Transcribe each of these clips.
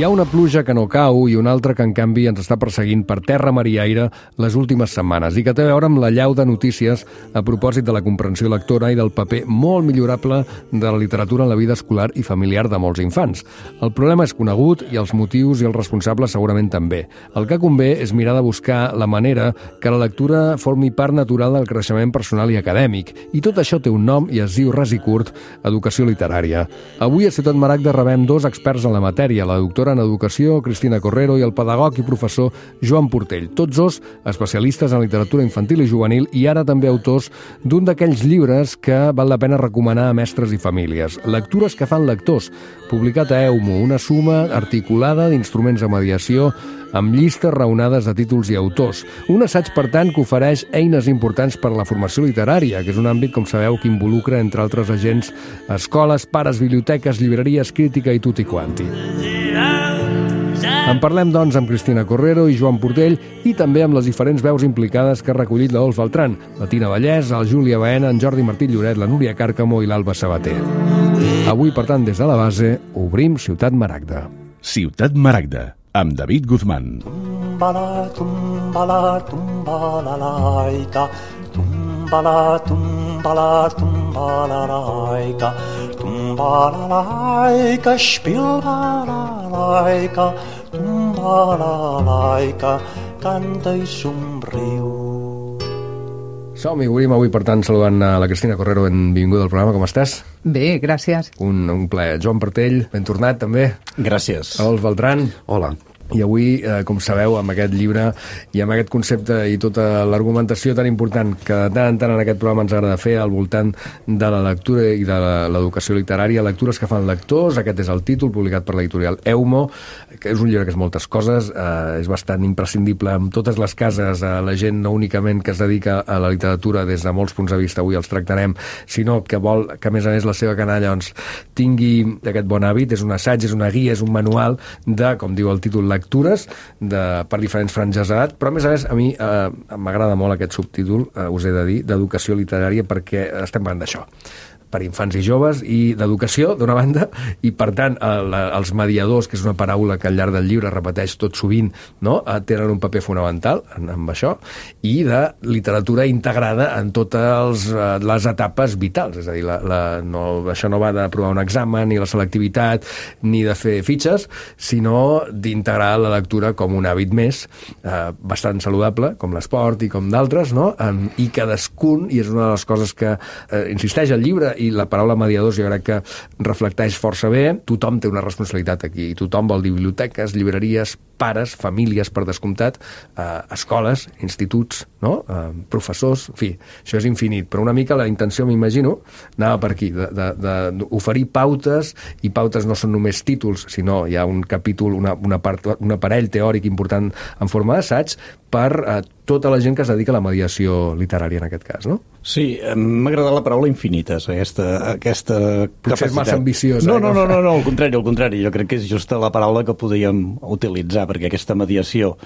Hi ha una pluja que no cau i una altra que, en canvi, ens està perseguint per terra, mar i aire les últimes setmanes i que té a veure amb la llau de notícies a propòsit de la comprensió lectora i del paper molt millorable de la literatura en la vida escolar i familiar de molts infants. El problema és conegut i els motius i els responsables segurament també. El que convé és mirar de buscar la manera que la lectura formi part natural del creixement personal i acadèmic. I tot això té un nom i es diu ras i curt educació literària. Avui a Ciutat Maragda rebem dos experts en la matèria, la doctora en Educació, Cristina Correro, i el pedagog i professor Joan Portell. Tots dos especialistes en literatura infantil i juvenil i ara també autors d'un d'aquells llibres que val la pena recomanar a mestres i famílies. Lectures que fan lectors, publicat a EUMO, una suma articulada d'instruments de mediació amb llistes raonades de títols i autors. Un assaig, per tant, que ofereix eines importants per a la formació literària, que és un àmbit, com sabeu, que involucra, entre altres agents, escoles, pares, biblioteques, llibreries, crítica i tutti quanti. En parlem, doncs, amb Cristina Correro i Joan Portell i també amb les diferents veus implicades que ha recollit la Dols Beltrán, la Tina Vallès, el Júlia Baena, en Jordi Martí Lloret, la Núria Càrcamo i l'Alba Sabater. Avui, per tant, des de la base, obrim Ciutat Maragda. Ciutat Maragda, amb David Guzmán. Tumbala, tumbala, tumbala, laica. Tumbala, tumbala, tumbala, laica. Tumbala, laica, spilbala, laica. Tumbala, laica, canta i somriu. Som-hi, obrim avui, per tant, saludant a la Cristina Correro. Benvinguda al programa, com estàs? Bé, gràcies. Un plaer. Joan Portell, ben tornat, també. Gràcies. Dols Beltrán. Hola. I avui, com sabeu, amb aquest llibre i amb aquest concepte i tota l'argumentació tan important que de tant en tant en aquest programa ens agrada fer al voltant de la lectura i de l'educació literària, lectures que fan lectors, aquest és el títol, publicat per l'editorial EUMO, que és un llibre que és moltes coses, és bastant imprescindible en totes les cases, la gent no únicament que es dedica a la literatura des de molts punts de vista, avui els tractarem, sinó que vol que, a més la seva canalla doncs, tingui aquest bon hàbit, és un assaig, és una guia, és un manual de, com diu el títol, lectures per diferents franges d'edat, però a més a mi m'agrada molt aquest subtítol, us he de dir, d'educació literària, perquè estem parlant d'això, per infants i joves, i d'educació, d'una banda, i, per tant, els mediadors, que és una paraula que al llarg del llibre repeteix tot sovint, no? Tenen un paper fonamental amb això, i de literatura integrada en totes les etapes vitals, és a dir, això no va d'aprovar un examen, ni la selectivitat, ni de fer fitxes, sinó d'integrar la lectura com un hàbit més, bastant saludable, com l'esport i com d'altres, no? I cadascun, i és una de les coses que insisteix al llibre, i la paraula mediadors jo crec que reflecteix força bé, tothom té una responsabilitat aquí, i tothom vol dir biblioteques, llibreries, pares, famílies, per descomptat, escoles, instituts, no? Professors, en fi, això és infinit, però una mica la intenció, m'imagino, anava per aquí, d'oferir pautes, i pautes no són només títols, sinó hi ha un capítol, un aparell teòric important en forma d'assaig per tota la gent que es dedica a la mediació literària en aquest cas, no? Sí, m'ha agradat la paraula infinites, aquesta capacitat. Potser és massa ambiciosa. No, al contrari, jo crec que és justa la paraula que podríem utilitzar, perquè aquesta mediació,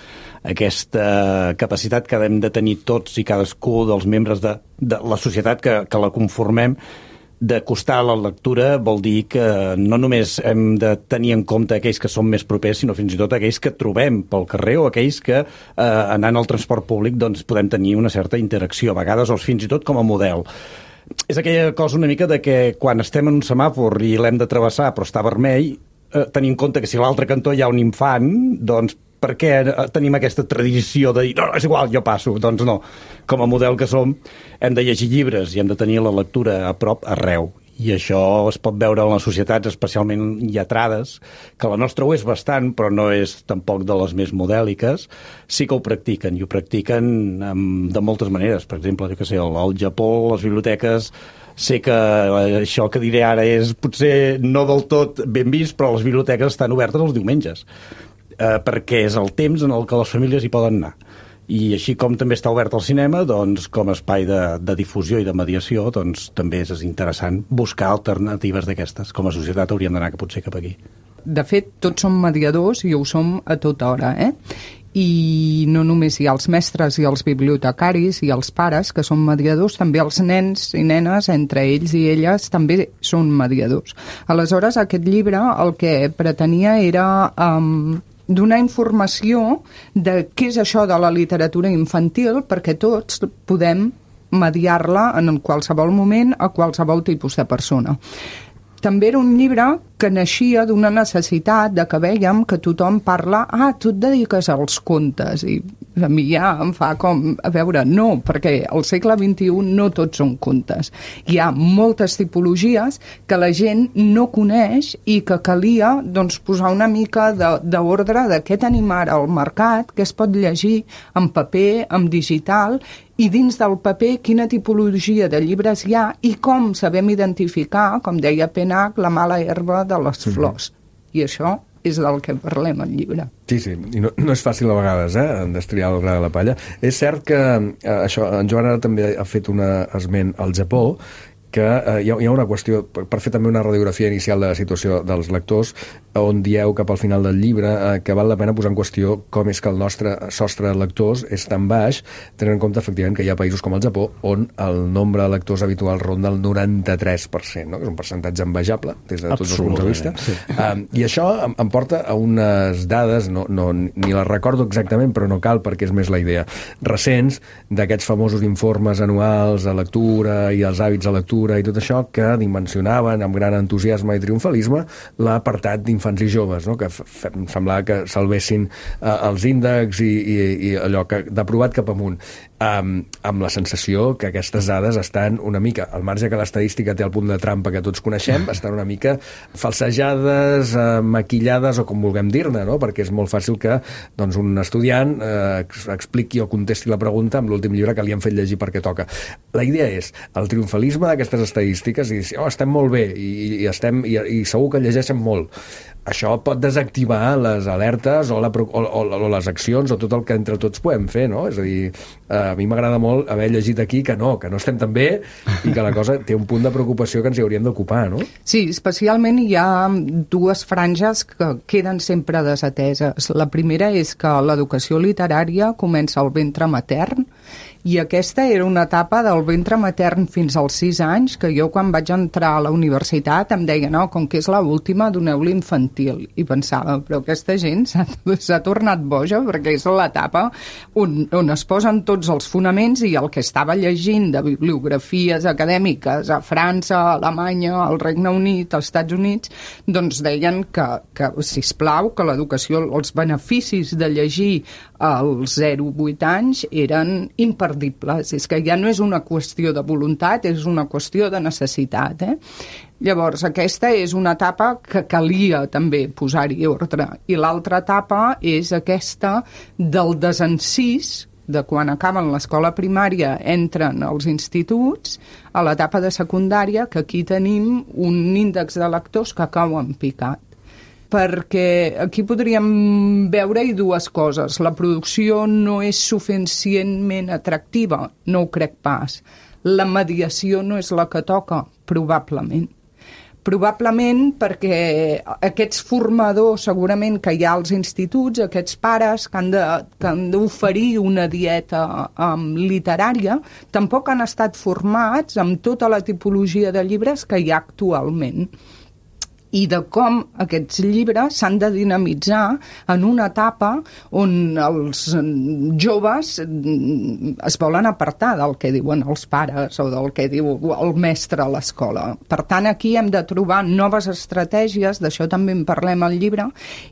aquesta capacitat que hem de tenir tots i cadascú dels membres de la societat que la conformem, d'acostar a la lectura vol dir que no només hem de tenir en compte aquells que són més propers, sinó fins i tot aquells que trobem pel carrer o aquells que anant al transport públic doncs, podem tenir una certa interacció, a vegades o fins i tot com a model. És aquella cosa una mica de que quan estem en un semàfor i l'hem de travessar però està vermell, tenir en compte que si a l'altre cantó hi ha un infant, doncs per què tenim aquesta tradició de dir no, és igual, jo passo? Doncs no. Com a model que som, hem de llegir llibres i hem de tenir la lectura a prop arreu. I això es pot veure en les societats especialment lletrades, que la nostra ho és bastant, però no és tampoc de les més modèliques. Sí que ho practiquen, i ho practiquen de moltes maneres. Per exemple, jo què sé, al Japó, les biblioteques, sé que això que diré ara és potser no del tot ben vist, però les biblioteques estan obertes els diumenges, perquè és el temps en el que les famílies hi poden anar. I així com també està obert el cinema, doncs, com a espai de difusió i de mediació, doncs, també és interessant buscar alternatives d'aquestes. Com a societat hauríem d'anar potser cap aquí. de fet, tots som mediadors i ho som a tota hora, I no només hi ha els mestres i els bibliotecaris i els pares que són mediadors, també els nens i nenes, entre ells i elles, també són mediadors. Aleshores, aquest llibre el que pretenia era donar informació de què és això de la literatura infantil, perquè tots podem mediar-la en qualsevol moment a qualsevol tipus de persona. També era un llibre que naixia d'una necessitat de que vèiem que tothom parla tu et dediques als contes, i a mi ja em fa com, a veure, no, perquè al segle XXI no tots són contes. Hi ha moltes tipologies que la gent no coneix i que calia doncs, posar una mica d'ordre de què tenim ara al mercat, què es pot llegir en paper, en digital, i dins del paper quina tipologia de llibres hi ha i com sabem identificar, com deia Penach, la mala herba de les flors. I això és del que parlem al llibre. Sí, i no és fàcil a vegades, destriar el gra de la palla. És cert que això, en Joan ara també ha fet un esment al Japó, que hi ha una qüestió, per fer també una radiografia inicial de la situació dels lectors, on dieu cap al final del llibre que val la pena posar en qüestió com és que el nostre sostre de lectors és tan baix, tenint en compte efectivament que hi ha països com el Japó on el nombre de lectors habitual ronda el 93%, no? Que és un percentatge envejable des de tots els punts de vista. Sí. I això em porta a unes dades, ni les recordo exactament, però no cal perquè és més la idea, recents d'aquests famosos informes anuals de lectura i els hàbits de lectura i tot això, que dimensionaven amb gran entusiasme i triomfalisme l'apartat d'infants i joves, no? Que em semblava que salvessin els índexs i allò d'aprovat cap amunt, amb la sensació que aquestes dades estan una mica, al marge que l'estadística té el punt de trampa que tots coneixem, estan una mica falsejades, maquillades o com vulguem dir-ne, no? Perquè és molt fàcil que doncs, un estudiant expliqui o contesti la pregunta amb l'últim llibre que li han fet llegir perquè toca. La idea és el triomfalisme d'aquestes estadístiques i dir, estem molt bé i segur que llegeixen molt. Això pot desactivar les alertes o les accions o tot el que entre tots podem fer, no? És a dir, a mi m'agrada molt haver llegit aquí que no estem tan bé i que la cosa té un punt de preocupació que ens hi hauríem d'ocupar, no? Sí, especialment hi ha dues franges que queden sempre desateses. La primera és que l'educació literària comença al ventre matern i aquesta era una etapa del ventre matern fins als 6 anys, que jo quan vaig entrar a la universitat em deia, no, com que és l'última, doneu-li infantil. I pensava, però aquesta gent s'ha tornat boja perquè és l'etapa on es posen tots els fonaments i el que estava llegint de bibliografies acadèmiques a França, a Alemanya, al Regne Unit, als Estats Units, doncs deien que sisplau, que l'educació, els beneficis de llegir als 0-8 anys eren imperdibles. És que ja no és una qüestió de voluntat, és una qüestió de necessitat. Llavors, aquesta és una etapa que calia també posar-hi ordre. I l'altra etapa és aquesta del desencís, de quan acaben l'escola primària, entren als instituts, a l'etapa de secundària, que aquí tenim un índex de lectors que cau en picat. Perquè aquí podríem veure-hi dues coses. La producció no és suficientment atractiva, no ho crec pas. La mediació no és la que toca, probablement. Probablement perquè aquests formadors segurament que hi ha als instituts, aquests pares que han d'oferir una dieta literària, tampoc han estat formats amb tota la tipologia de llibres que hi ha actualment i de com aquests llibres s'han de dinamitzar en una etapa on els joves es volen apartar del que diuen els pares o del que diu el mestre a l'escola. Per tant, aquí hem de trobar noves estratègies, d'això també en parlem al llibre,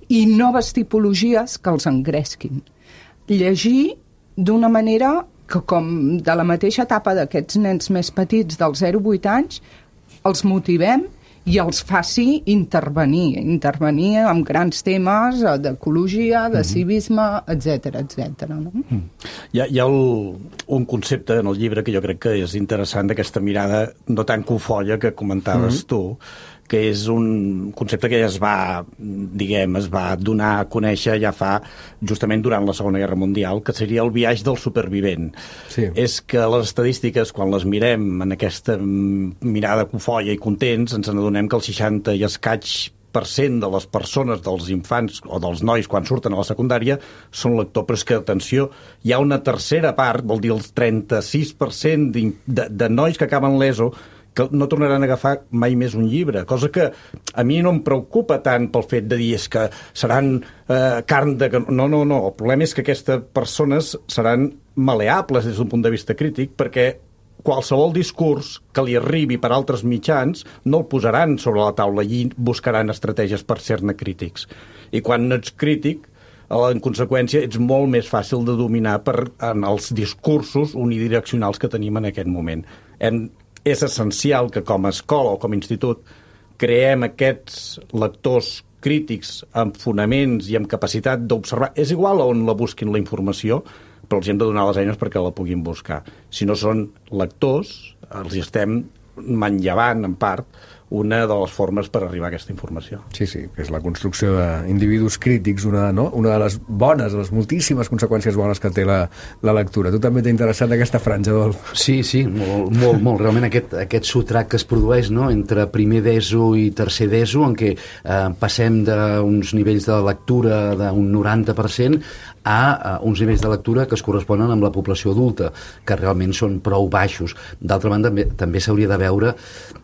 i noves tipologies que els engresquin. Llegir d'una manera que, com de la mateixa etapa d'aquests nens més petits dels 0-8 anys, els motivem i els faci intervenir amb grans temes d'ecologia, de civisme, etc. No? Hi ha un concepte en el llibre que jo crec que és interessant, d'aquesta mirada no tan cofolla que comentaves tu, que és un concepte que ja es va donar a conèixer ja fa justament durant la Segona Guerra Mundial, que seria el viatge del supervivent. Sí. És que les estadístiques, quan les mirem en aquesta mirada cofolla i contents, ens n'adonem que el 60 i escaig 30% de les persones, dels infants o dels nois quan surten a la secundària són lectors, però és que, atenció, hi ha una tercera part, vol dir el 36% de nois que acaben l'ESO que no tornaran a agafar mai més un llibre, cosa que a mi no em preocupa tant pel fet de dir és que seran carn de... No, el problema és que aquestes persones seran maleables des d'un punt de vista crític, perquè qualsevol discurs que li arribi per altres mitjans no el posaran sobre la taula i buscaran estratègies per ser-ne crítics. I quan no ets crític, en conseqüència, ets molt més fàcil de dominar en els discursos unidireccionals que tenim en aquest moment. És essencial que com a escola o com a institut creem aquests lectors crítics amb fonaments i amb capacitat d'observar. És igual on la busquin la informació, però els hem de donar les eines perquè la puguin buscar. Si no són lectors, els estem manllevant, en part, una de les formes per arribar a aquesta informació. Sí, que és la construcció d'individus crítics, una de les bones, les moltíssimes conseqüències bones que té la lectura. Tu també t'ha interessat aquesta franja, Adolf? Sí, molt. Realment aquest sotrac que es produeix, no?, entre primer d'ESO i tercer d'ESO, en què passem d'uns nivells de lectura d'un 90% a uns nivells de lectura que es corresponen amb la població adulta, que realment són prou baixos. D'altra banda, també s'hauria de veure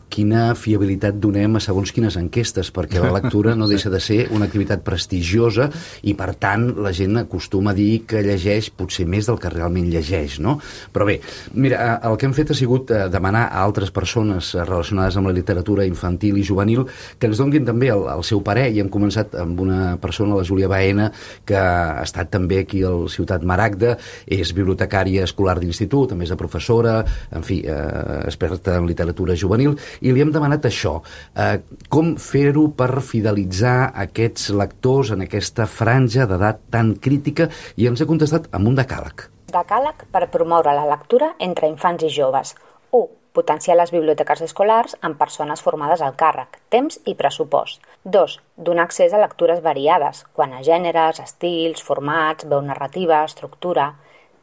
quina fiabilitat donem a segons quines enquestes, perquè la lectura no deixa de ser una activitat prestigiosa i, per tant, la gent acostuma a dir que llegeix potser més del que realment llegeix, no? Però bé, mira, el que hem fet ha sigut demanar a altres persones relacionades amb la literatura infantil i juvenil que ens donguin també el seu parer, i hem començat amb una persona, la Júlia Baena, que ha estat també aquí al Ciutat Maragda, és bibliotecària escolar d'institut, a més de professora, en fi, experta en literatura juvenil, i li hem demanat això, com fer-ho per fidelitzar aquests lectors en aquesta franja d'edat tan crítica, i ens ha contestat amb un decàleg. Decàleg per promoure la lectura entre infants i joves. 1. Potenciar les biblioteques escolars amb persones formades al càrrec, temps i pressupost. 2. Donar accés a lectures variades, quant a gèneres, estils, formats, veu narrativa, estructura.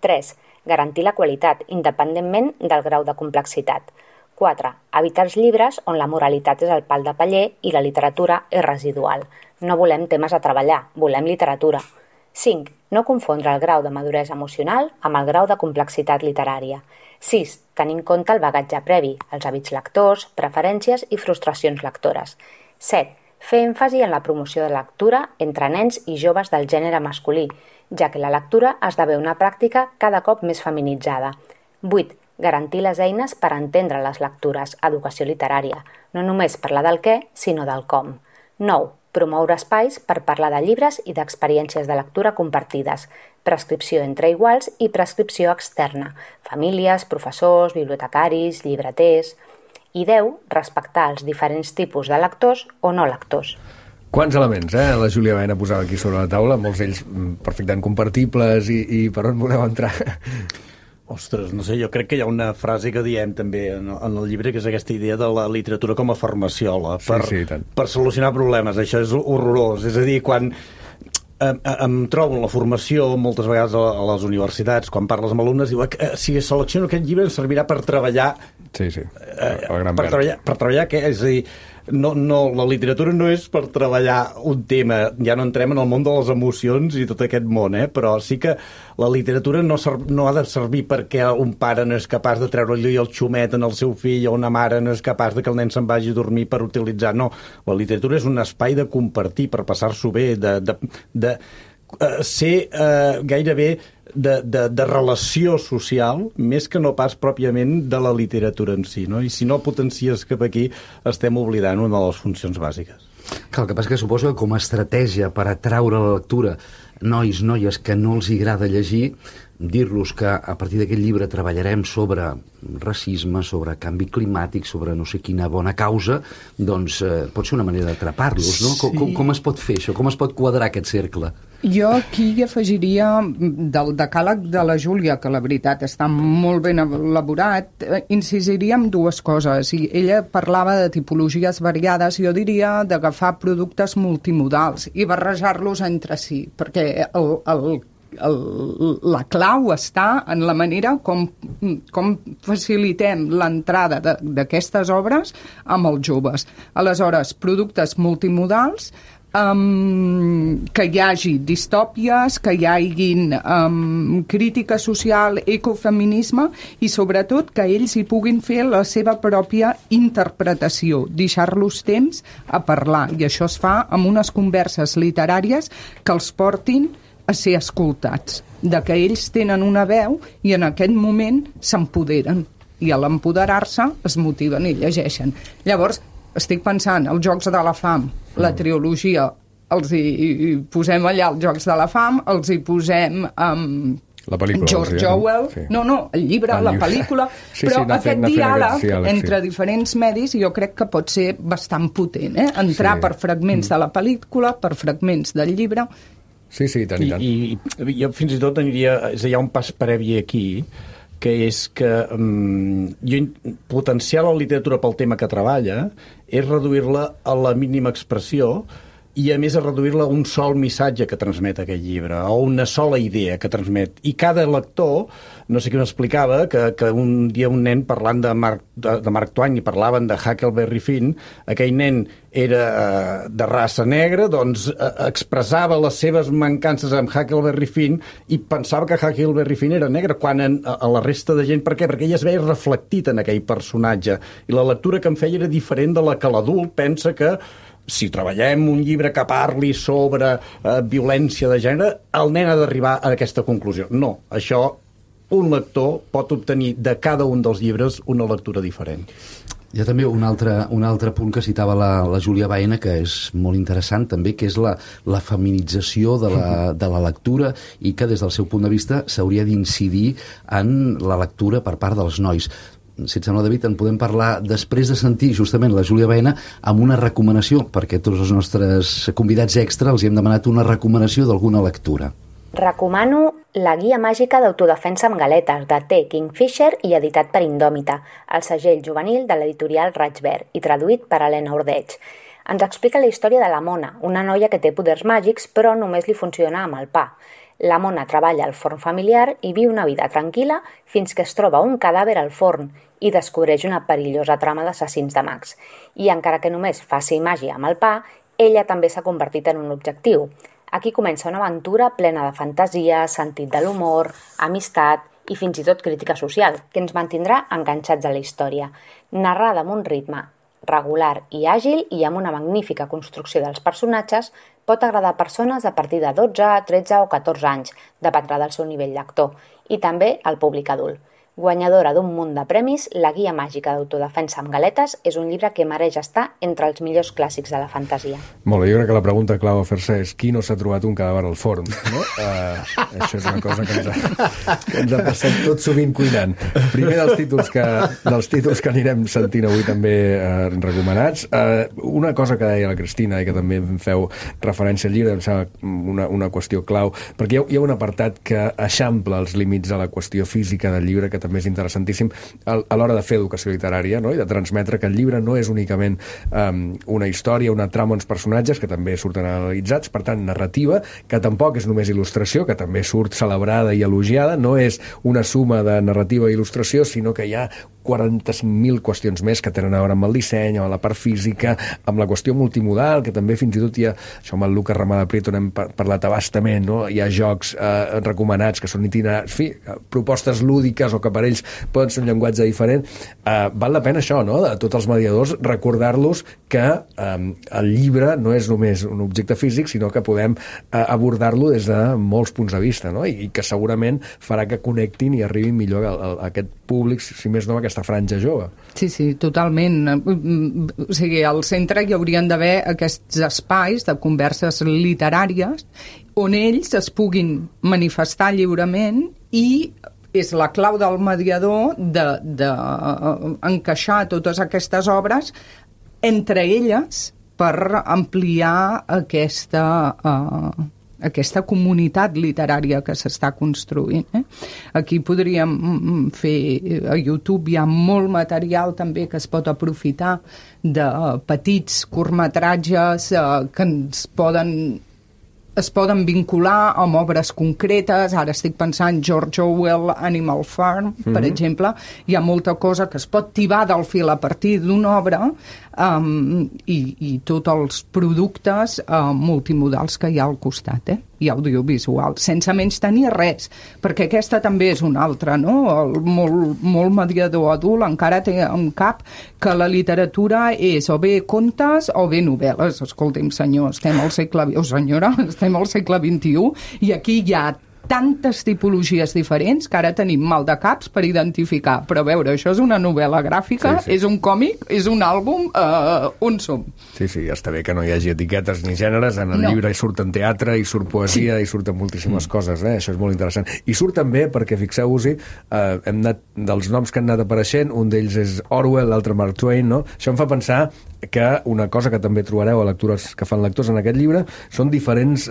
3. Garantir la qualitat, independentment del grau de complexitat. 4. Evitar els llibres on la moralitat és el pal de paller i la literatura és residual. No volem temes a treballar, volem literatura. 5. No confondre el grau de maduresa emocional amb el grau de complexitat literària. 6. Tenir en compte el bagatge previ, els hàbits lectors, preferències i frustracions lectores. 7. Fer èmfasi en la promoció de lectura entre nens i joves del gènere masculí, ja que la lectura esdevé una pràctica cada cop més feminitzada. 8. Garantir les eines per entendre les lectures, educació literària, no només parlar del què, sinó del com. 9. Promoure espais per parlar de llibres i d'experiències de lectura compartides, prescripció entre iguals i prescripció externa, famílies, professors, bibliotecaris, llibreters. I 10. Respectar els diferents tipus de lectors o no lectors. Quants elements, la Júlia Baena posava aquí sobre la taula, molts d'ells perfectament compartibles, i per on voleu entrar? Ostres, no sé, jo crec que hi ha una frase que diem també en el llibre, que és aquesta idea de la literatura com a farmaciola per solucionar problemes. Això és horrorós. És a dir, quan em trobo en la formació moltes vegades a les universitats, quan parles amb alumnes, diu que si selecciono aquest llibre em servirà per treballar. Per treballar què? És a dir, la literatura no és per treballar un tema, ja no entrem en el món de les emocions i tot aquest món, però sí que la literatura no ha de servir perquè un pare no és capaç de treure-li el xumet en el seu fill, o una mare no és capaç de que el nen se'n vagi a dormir per utilitzar. No, la literatura és un espai de compartir, per passar-s'ho bé, de ser gairebé de relació social, més que no pas pròpiament de la literatura en si, no? I si no potencies cap aquí, estem oblidant una de les funcions bàsiques. Clar, el que passa que suposo que com a estratègia per atraure la lectura nois, noies que no els agrada llegir, dir-los que a partir d'aquest llibre treballarem sobre racisme, sobre canvi climàtic, sobre no sé quina bona causa, doncs pot ser una manera d'atrapar-los, no? Com es pot fer això? Com es pot quadrar aquest cercle? Jo aquí hi afegiria del decàleg de la Júlia, que la veritat està molt ben elaborat, incidiria en dues coses. I ella parlava de tipologies variades, jo diria d'agafar productes multimodals i barrejar-los entre si, perquè la clau està en la manera com facilitem l'entrada d'aquestes obres amb els joves. Aleshores, productes multimodals, que hi hagi distòpies, que hi hagin crítica social, ecofeminisme i sobretot que ells hi puguin fer la seva pròpia interpretació, deixar-los temps a parlar, i això es fa amb unes converses literàries que els portin a ser escoltats, de que ells tenen una veu i en aquest moment s'empoderen, i a l'empoderar-se es motiven i llegeixen. Llavors, estic pensant, els Jocs de la Fam, la trilogia, els hi posem allà els Jocs de la Fam, els hi posem la pel·lícula, George Orwell, sí. No, el llibre, la pel·lícula, però aquest diàleg entre diferents medis jo crec que pot ser bastant potent, entrar per fragments de la pel·lícula, per fragments del llibre. Sí, tant i tant. I jo fins i tot aniria, és a dir, hi ha un pas previ aquí, que és que potenciar la literatura pel tema que treballa és reduir-la a la mínima expressió i, a més, a reduir-la a un sol missatge que transmet aquest llibre, o una sola idea que transmet. I cada lector, no sé qui m'explicava, que un dia un nen parlant de Mark Twain i parlaven de Huckleberry Finn, aquell nen era de raça negra, doncs expressava les seves mancances amb Huckleberry Finn i pensava que Huckleberry Finn era negre, quan a la resta de gent... Per què? Perquè ella es veia reflectit en aquell personatge. I la lectura que em feia era diferent de la que l'adult pensa que si treballem un llibre que parli sobre violència de gènere, el nen ha d'arribar a aquesta conclusió. No, això un lector pot obtenir de cada un dels llibres una lectura diferent. Hi ha també un altre punt que citava la Júlia Baena, que és molt interessant també, que és la feminització de la lectura, i que des del seu punt de vista s'hauria d'incidir en la lectura per part dels nois. Si et sembla, David, en podem parlar després de sentir justament la Júlia Baena amb una recomanació, perquè tots els nostres convidats extra els hem demanat una recomanació d'alguna lectura. Recomano La guia màgica d'autodefensa amb galetes, de T. Kingfisher i editat per Indòmita, el segell juvenil de l'editorial Raig Verd, i traduït per Helena Ordeig. Ens explica la història de la Mona, una noia que té poders màgics però només li funciona amb el pa. La Mona treballa al forn familiar i viu una vida tranquil·la fins que es troba un cadàver al forn i descobreix una perillosa trama d'assassins de mags. I encara que només faci màgia amb el pa, ella també s'ha convertit en un objectiu. Aquí comença una aventura plena de fantasia, sentit de l'humor, amistat i fins i tot crítica social, que ens mantindrà enganxats a la història. Narrada amb un ritme regular i àgil i amb una magnífica construcció dels personatges, pot agradar a persones a partir de 12, 13 o 14 anys, dependrà del seu nivell lector, i també al públic adult. Guanyadora d'un munt de premis, La guia màgica d'autodefensa amb galetes és un llibre que mereix estar entre els millors clàssics de la fantasia. Molt bé, jo crec que la pregunta clau a fer-se és qui no s'ha trobat un cadàver al forn, no? Això és una cosa que ens ha passat tot sovint cuinant. Primer dels títols que anirem sentint avui també recomanats. Una cosa que deia la Cristina i que també em feu referència al llibre, em sembla una qüestió clau, perquè hi ha un apartat que eixampla els límits de la qüestió física del llibre, que també és interessantíssim a l'hora de fer educació literària, no? I de transmetre que el llibre no és únicament una història, una trama, uns personatges que també surten analitzats, per tant, narrativa, que tampoc és només il·lustració, que també surt celebrada i elogiada, no és una suma de narrativa i il·lustració, sinó que hi ha 45.000 qüestions més que tenen a veure amb el disseny, amb la part física, amb la qüestió multimodal, que també fins i tot hi ha, això amb el Lucas Ramada Prieto n'hem parlat abastament, no? Hi ha jocs recomanats que són itinerants, en fi, propostes lúdiques o que per ells poden ser un llenguatge diferent. Val la pena això, no?, de tots els mediadors, recordar-los que el llibre no és només un objecte físic, sinó que podem abordar-lo des de molts punts de vista, no? I que segurament farà que connectin i arribin millor a aquest públic, si més no, a aquesta franja jove. Sí, totalment. O sigui, al centre hi haurien d'haver aquests espais de converses literàries on ells es puguin manifestar lliurement, i és la clau del mediador d'encaixar totes aquestes obres entre elles per ampliar aquesta comunitat literària que s'està construint. Aquí podríem fer, a YouTube hi ha molt material també que es pot aprofitar de petits curtmetratges que ens poden es poden vincular amb obres concretes. Ara estic pensant George Orwell, Animal Farm, per exemple. Hi ha molta cosa que es pot tibar del fil a partir d'una obra, i tots els productes multimodals que hi ha al costat, i audiovisual, sense menys tenir res, perquè aquesta també és una altra, no? El molt mediador adult encara té en cap que la literatura és o bé contes o bé novel·les. Escolti'm, senyor, estem al segle XXI i aquí hi ha tantes tipologies diferents que ara tenim mal de caps per identificar. Però a veure, això és una novel·la gràfica, és un còmic, és un àlbum, on som? Sí, està bé que no hi hagi etiquetes ni gèneres. En el llibre hi surten teatre, hi surt poesia, hi surten moltíssimes coses, Això és molt interessant. I surt també, perquè fixeu-vos-hi, hem anat dels noms que han anat apareixent, un d'ells és Orwell, l'altre Mark Twain, no? Això em fa pensar que una cosa que també trobareu a lectures que fan lectors en aquest llibre són diferents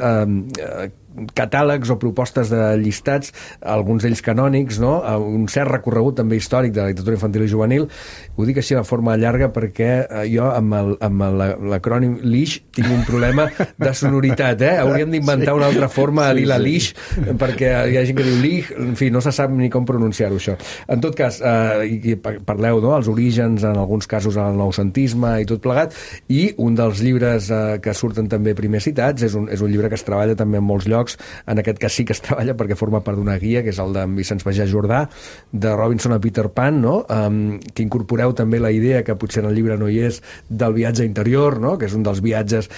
catàlegs o propostes de llistats, alguns d'ells canònics, no? Un cert recorregut també històric de la literatura infantil i juvenil. Ho dic així de forma llarga perquè jo amb l'acrònim LISH tinc un problema de sonoritat, Hauríem d'inventar una altra forma de dir la LISH, perquè hi ha gent que diu LISH, en fi, no se sap ni com pronunciar-ho, això. En tot cas, parleu, no?, els orígens, en alguns casos el noucentisme i tot plegat, i un dels llibres que surten també primer citats és un llibre que es treballa també en molts llocs. En aquest cas sí que es treballa perquè forma part d'una guia, que és el d'en Vicenç Pagès Jordà, de Robinson a Peter Pan, no? Que incorporeu també la idea, que potser en el llibre no hi és, del viatge interior, no? Que és un dels viatges,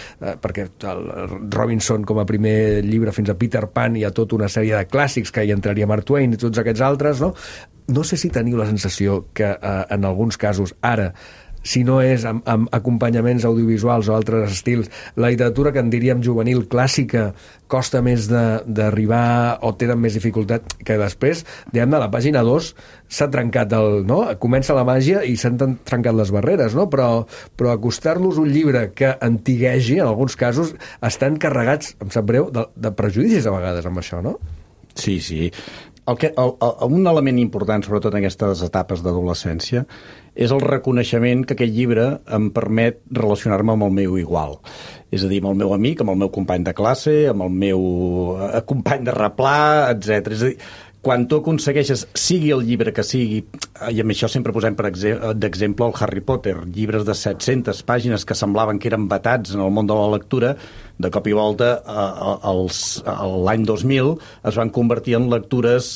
perquè el Robinson com a primer llibre fins a Peter Pan hi ha tota una sèrie de clàssics que hi entraria Mark Twain i tots aquests altres, no? No sé si teniu la sensació que en alguns casos ara, si no és amb acompanyaments audiovisuals o altres estils, la literatura que en diríem juvenil clàssica costa més d'arribar o tenen més dificultat, que després, diguem-ne, a la pàgina 2 s'ha trencat no? Comença la màgia i s'han trencat les barreres, no? Però acostar-los un llibre que antiguegi, en alguns casos, estan carregats, em sap greu, de prejudicis a vegades amb això, no? Sí. Un element important, sobretot en aquestes etapes d'adolescència, és el reconeixement que aquest llibre em permet relacionar-me amb el meu igual. És a dir, amb el meu amic, amb el meu company de classe, amb el meu company de replà, etc. És a dir, quan tu aconsegueixes, sigui el llibre que sigui, i amb això sempre posem d'exemple el Harry Potter, llibres de 700 pàgines que semblaven que eren vetats en el món de la lectura, de cop i volta, l'any 2000, es van convertir en lectures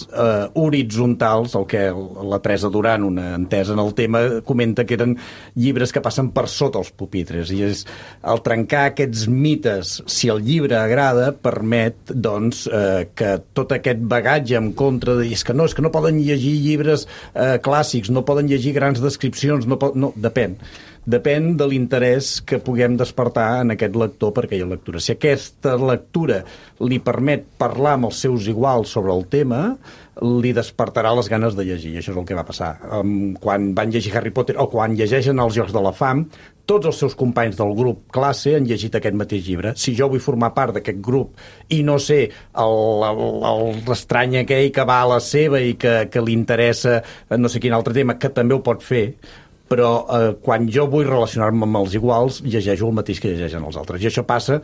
horitzontals, el que la Teresa Duran, una entesa en el tema, comenta que eren llibres que passen per sota els pupitres. I és el trencar aquests mites, si el llibre agrada, permet doncs, que tot aquest bagatge en contra de... És que no poden llegir llibres clàssics, no poden llegir grans descripcions, no, depèn. Depèn de l'interès que puguem despertar en aquest lector per aquella lectura. Si aquesta lectura li permet parlar amb els seus iguals sobre el tema, li despertarà les ganes de llegir. I això és el que va passar. Quan van llegir Harry Potter o quan llegeixen els Jocs de la Fam, tots els seus companys del grup classe han llegit aquest mateix llibre. Si jo vull formar part d'aquest grup i no sé l'estrany aquell que va a la seva i que li interessa no sé quin altre tema, que també ho pot fer, però quan jo vull relacionar-me amb els iguals, llegeixo el mateix que llegeixen els altres. I això passa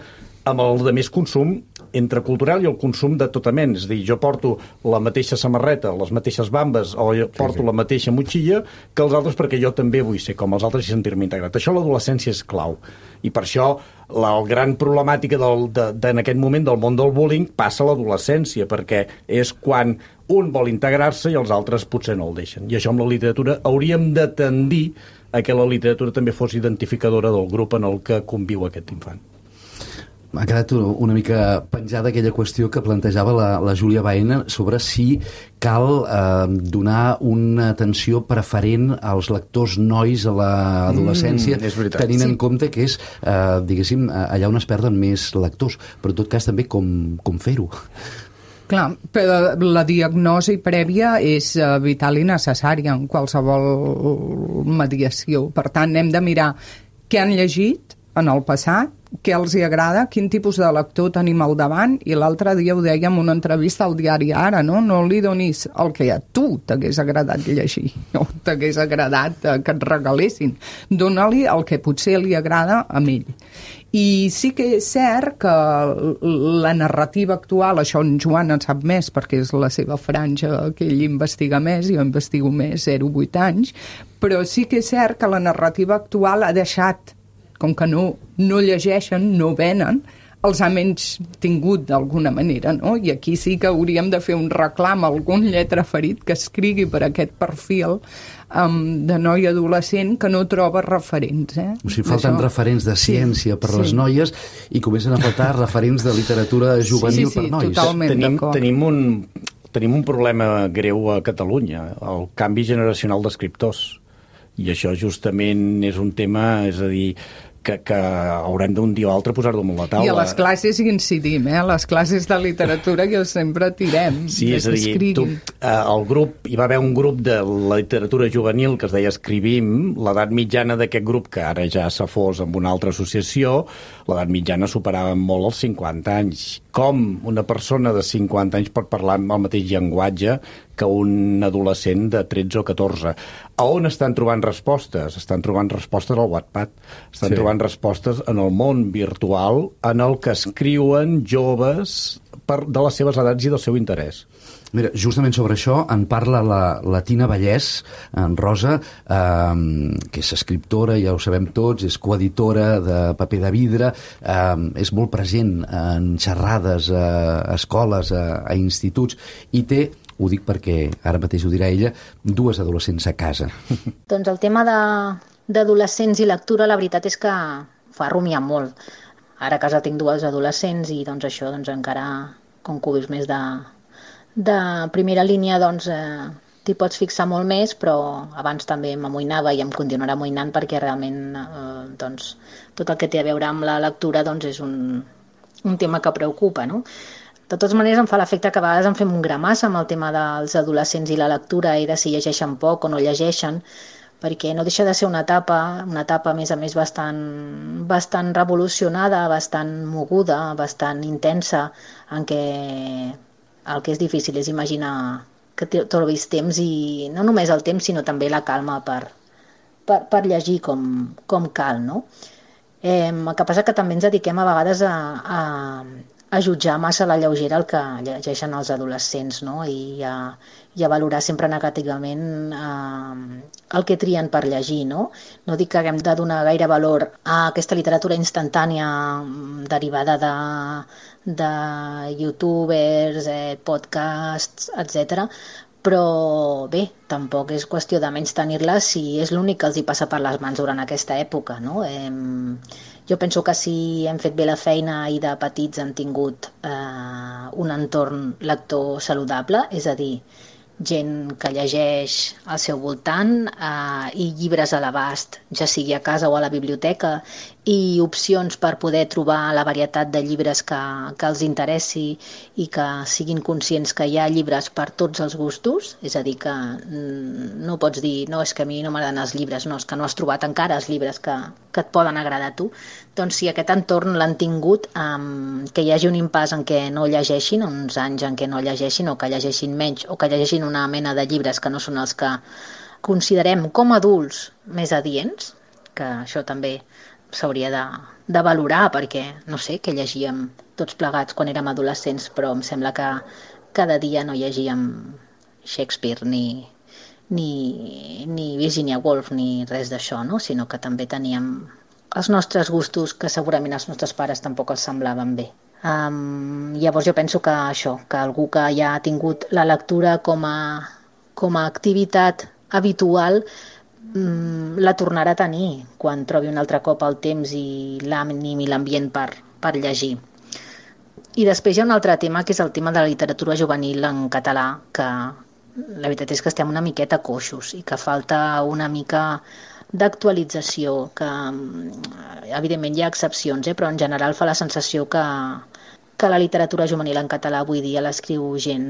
amb el de més consum entre cultural i el consum de tota mena. És a dir, jo porto la mateixa samarreta, les mateixes bambes, o jo porto la mateixa motxilla que els altres perquè jo també vull ser com els altres i sentir-me integrat. Això a l'adolescència és clau. I per això la gran problemàtica en aquest moment del món del bullying passa a l'adolescència, perquè és quan un vol integrar-se i els altres potser no el deixen. I això amb la literatura hauríem de tendir a que la literatura també fos identificadora del grup en el que conviu aquest infant. M'ha quedat una mica penjada aquella qüestió que plantejava la Júlia Baena sobre si cal donar una atenció preferent als lectors nois a l'adolescència, tenint en compte que és, diguéssim, allà on es perden més lectors, però en tot cas també com fer-ho. Clar, però la diagnosi prèvia és vital i necessària en qualsevol mediació. Per tant, hem de mirar què han llegit en el passat, què els hi agrada, quin tipus de lector tenim al davant, i l'altre dia ho dèiem en una entrevista al diari Ara, no? No li donis el que a tu t'hagués agradat llegir, o t'hagués agradat que et regalessin. Dóna-li el que potser li agrada a ell. I sí que és cert que la narrativa actual, això en Joan en sap més perquè és la seva franja que ell investiga més, jo investigo més 0-8 anys, però sí que és cert que la narrativa actual ha deixat, com que no llegeixen, no venen, els ha menys tingut d'alguna manera, no? I aquí sí que hauríem de fer un reclam a algun lletraferit que escrigui per aquest perfil de noi adolescent que no troba referents. O sigui, falten referents de ciència per les noies i comencen a faltar referents de literatura juvenil per nois. Totalment d'acord. Tenim un problema greu a Catalunya, el canvi generacional d'escriptors. I això justament és un tema, és a dir, que haurem d'un dia o altre posar-ho damunt la taula. I a les classes hi incidim, a les classes de literatura que sempre tirem. Sí, és a dir, hi va haver un grup de literatura juvenil que es deia Escrivim, l'edat mitjana d'aquest grup, que ara ja s'ha fos amb una altra associació, l'edat mitjana superava molt els 50 anys. Com una persona de 50 anys pot parlar amb el mateix llenguatge que un adolescent de 13 o 14. A on estan trobant respostes? Estan trobant respostes al Wattpad. Estan trobant respostes en el món virtual en el que escriuen joves de les seves edats i del seu interès. Mira, justament sobre això en parla la Tina Vallès, en Rosa, que és escriptora, ja ho sabem tots, és coeditora de Paper de Vidre, és molt present en xerrades a escoles, a instituts, i té, ho dic perquè ara mateix ho dirà ella, 2 adolescents a casa. Doncs el tema d'adolescents i lectura, la veritat és que fa rumiar molt. Ara a casa tinc 2 adolescents i doncs això encara, com que ho vius més de primera línia, doncs t'hi pots fixar molt més, però abans també m'amoïnava i em continuarà amoïnant perquè realment doncs, tot el que té a veure amb la lectura doncs, és un tema que preocupa, no? De totes maneres, em fa l'efecte que a vegades em fem un gramassa amb el tema dels adolescents i la lectura i de si llegeixen poc o no llegeixen, perquè no deixa de ser una etapa a més a més bastant revolucionada, bastant moguda, bastant intensa, en què el que és difícil és imaginar que trobis temps, i no només el temps, sinó també la calma per llegir com cal, no? El que passa que també ens dediquem a vegades a jutjar massa a la lleugera el que llegeixen els adolescents, no? I a valorar sempre negativament el que trien per llegir, no? No dic que haguem de donar gaire valor a aquesta literatura instantània derivada de youtubers, podcasts, etc. Però bé, tampoc és qüestió de menys tenir-la si és l'únic que els hi passa per les mans durant aquesta època, no? Jo penso que si hem fet bé la feina i de petits hem tingut un entorn lector saludable, és a dir, gent que llegeix al seu voltant i llibres a l'abast, ja sigui a casa o a la biblioteca, i opcions per poder trobar la varietat de llibres que els interessi i que siguin conscients que hi ha llibres per tots els gustos, és a dir, que no pots dir no, és que a mi no m'agraden els llibres, no, és que no has trobat encara els llibres que et poden agradar a tu. Doncs si aquest entorn l'han tingut, que hi hagi un impàs en què no llegeixin, uns anys en què no llegeixin o que llegeixin menys o que llegeixin una mena de llibres que no són els que considerem com a adults més adients, que això també s'hauria de valorar perquè, no sé, què llegíem tots plegats quan érem adolescents, però em sembla que cada dia no llegíem Shakespeare ni Virginia Woolf ni res d'això, no? Sinó que també teníem els nostres gustos que segurament als nostres pares tampoc els semblaven bé. Llavors jo penso que això, que algú que ja ha tingut la lectura com a activitat habitual la tornarà a tenir quan trobi un altre cop el temps i l'ànim i l'ambient per llegir. I després hi ha un altre tema, que és el tema de la literatura juvenil en català, que la veritat és que estem una miqueta coixos i que falta una mica d'actualització, que evidentment hi ha excepcions, però en general fa la sensació que la literatura juvenil en català avui dia l'escriu gent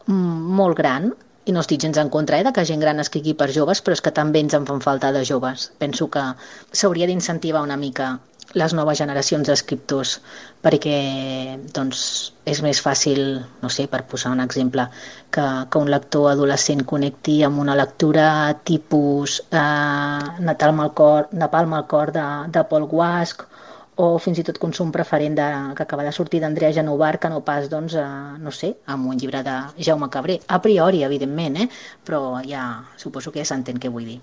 molt gran, I no estic gens en contra de que gent gran escrigui per joves, però és que també ens en fan falta de joves. Penso que s'hauria d'incentivar una mica les noves generacions d'escriptors, perquè doncs, és més fàcil, no sé, per posar un exemple, que un lector adolescent connecti amb una lectura tipus Napalm al cor de Paul Guasch, o fins i tot consum preferent que acaba de sortir d'Andrea Genovar, que no pas, doncs, no sé, amb un llibre de Jaume Cabré. A priori, evidentment, però ja suposo que ja s'entén què vull dir.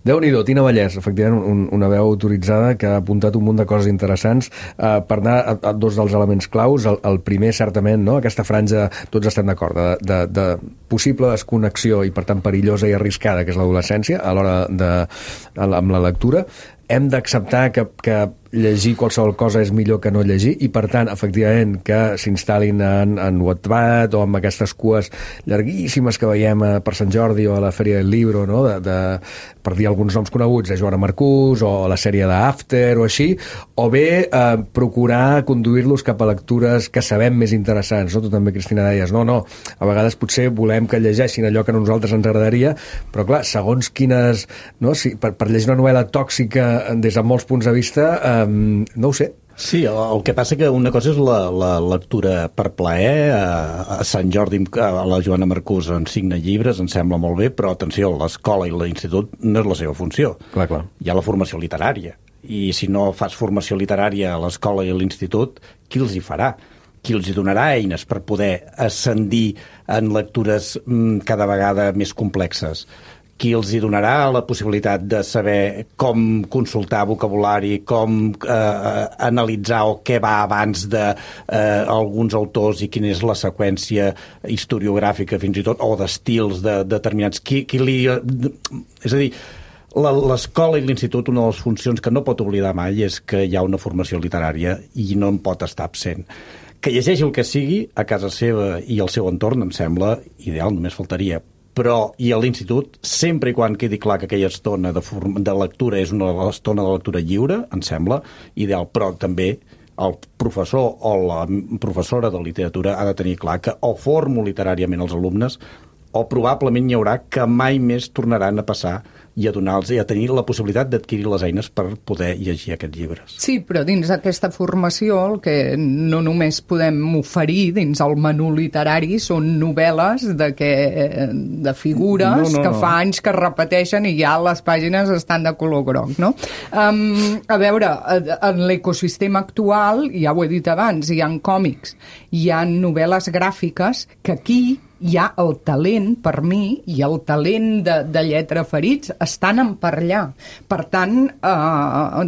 Déu-n'hi-do, Tina Vallès, efectivament una veu autoritzada que ha apuntat un munt de coses interessants per anar a dos dels elements claus. El primer, certament, no? Aquesta franja, tots estem d'acord, de possible desconnexió i per tant perillosa i arriscada, que és l'adolescència a l'hora amb la lectura. Hem d'acceptar que llegir qualsevol cosa és millor que no llegir i, per tant, efectivament, que s'instal·lin en Wattpad o amb aquestes cues llarguíssimes que veiem per Sant Jordi o a la Fèria del Libro, no? Per dir alguns noms coneguts, de Joana Marcús o la sèrie d'After o així, o bé procurar conduir-los cap a lectures que sabem més interessants, no? Tu també, Cristina, deies, no, a vegades potser volem que llegeixin allò que a nosaltres ens agradaria, però clar, segons quines, no? Si per llegir una novel·la tòxica des de molts punts de vista, no ho sé. Sí, el que passa que una cosa és la lectura per plaer. A Sant Jordi, a la Joana Marcús en signa llibres, em sembla molt bé, però atenció, l'escola i l'institut no és la seva funció. Clar. Hi ha la formació literària, i si no fas formació literària a l'escola i a l'institut, qui els hi farà? Qui els hi donarà eines per poder ascendir en lectures cada vegada més complexes? Qui els hi donarà la possibilitat de saber com consultar vocabulari, com analitzar o què va abans d'alguns autors i quina és la seqüència historiogràfica fins i tot, o d'estils determinats. És a dir, l'escola i l'institut, una de les funcions que no pot oblidar mai és que hi ha una formació literària i no en pot estar absent. Que llegeixi el que sigui a casa seva i al seu entorn em sembla ideal, només faltaria. Però, i a l'institut, sempre i quan quedi clar que aquella estona de lectura és una estona de lectura lliure, em sembla ideal, però també el professor o la professora de literatura ha de tenir clar que o formo literàriament els alumnes o probablement hi haurà que mai més tornaran a passar i a donar-los i a tenir la possibilitat d'adquirir les eines per poder llegir aquests llibres. Sí, però dins d'aquesta formació el que no només podem oferir dins el menú literari són novel·les de figures que fa anys que es repeteixen i ja les pàgines estan de color groc, no? A veure, en l'ecosistema actual, ja ho he dit abans, hi ha còmics, hi ha novel·les gràfiques que aquí hi ha el talent, per mi, i el talent de lletra ferits estan per allà. Per tant,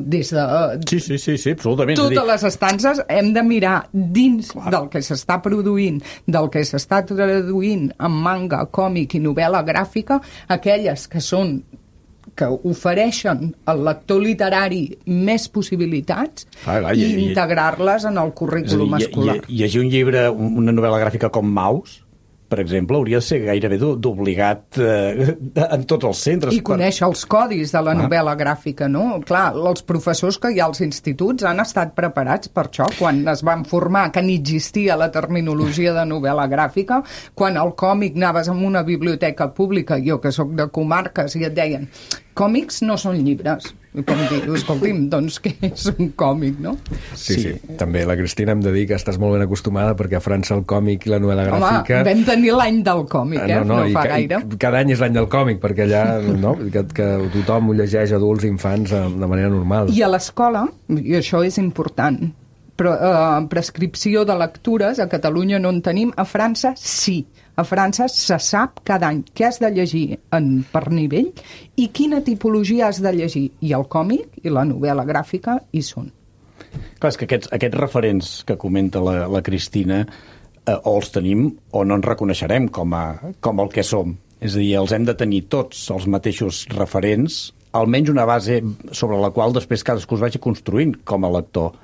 des de... Sí, absolutament. Totes les estances hem de mirar dins del que s'està produint, del que s'està traduint en manga, còmic i novel·la gràfica, aquelles que ofereixen al lector literari més possibilitats i integrar-les en el currículum escolar. Llegir un llibre, una novel·la gràfica com Maus, per exemple, hauria de ser gairebé d'obligat en tots els centres. I conèixer els codis de la novel·la gràfica, no? Clar, els professors que hi ha als instituts han estat preparats per això, quan es van formar que ni existia la terminologia de novel·la gràfica, quan el còmic anaves a una biblioteca pública, jo que sóc de comarques, i et deien còmics no són llibres. I com dir, escolti'm, doncs què és un còmic, no? Sí. També la Cristina hem de dir que estàs molt ben acostumada perquè a França el còmic i la novel·la gràfica... Home, vam tenir l'any del còmic, no fa gaire. Cada any és l'any del còmic, perquè allà que tothom ho llegeix, adults i infants, de manera normal. I a l'escola, i això és important, prescripció de lectures, a Catalunya no en tenim, a França sí. A França se sap cada any què has de llegir per nivell i quina tipologia has de llegir. I el còmic i la novel·la gràfica hi són. Clar, és que aquests referents que comenta la Cristina o els tenim o no ens reconeixerem com el que som. És a dir, els hem de tenir tots els mateixos referents, almenys una base sobre la qual després cadascú es vagi construint com a lector.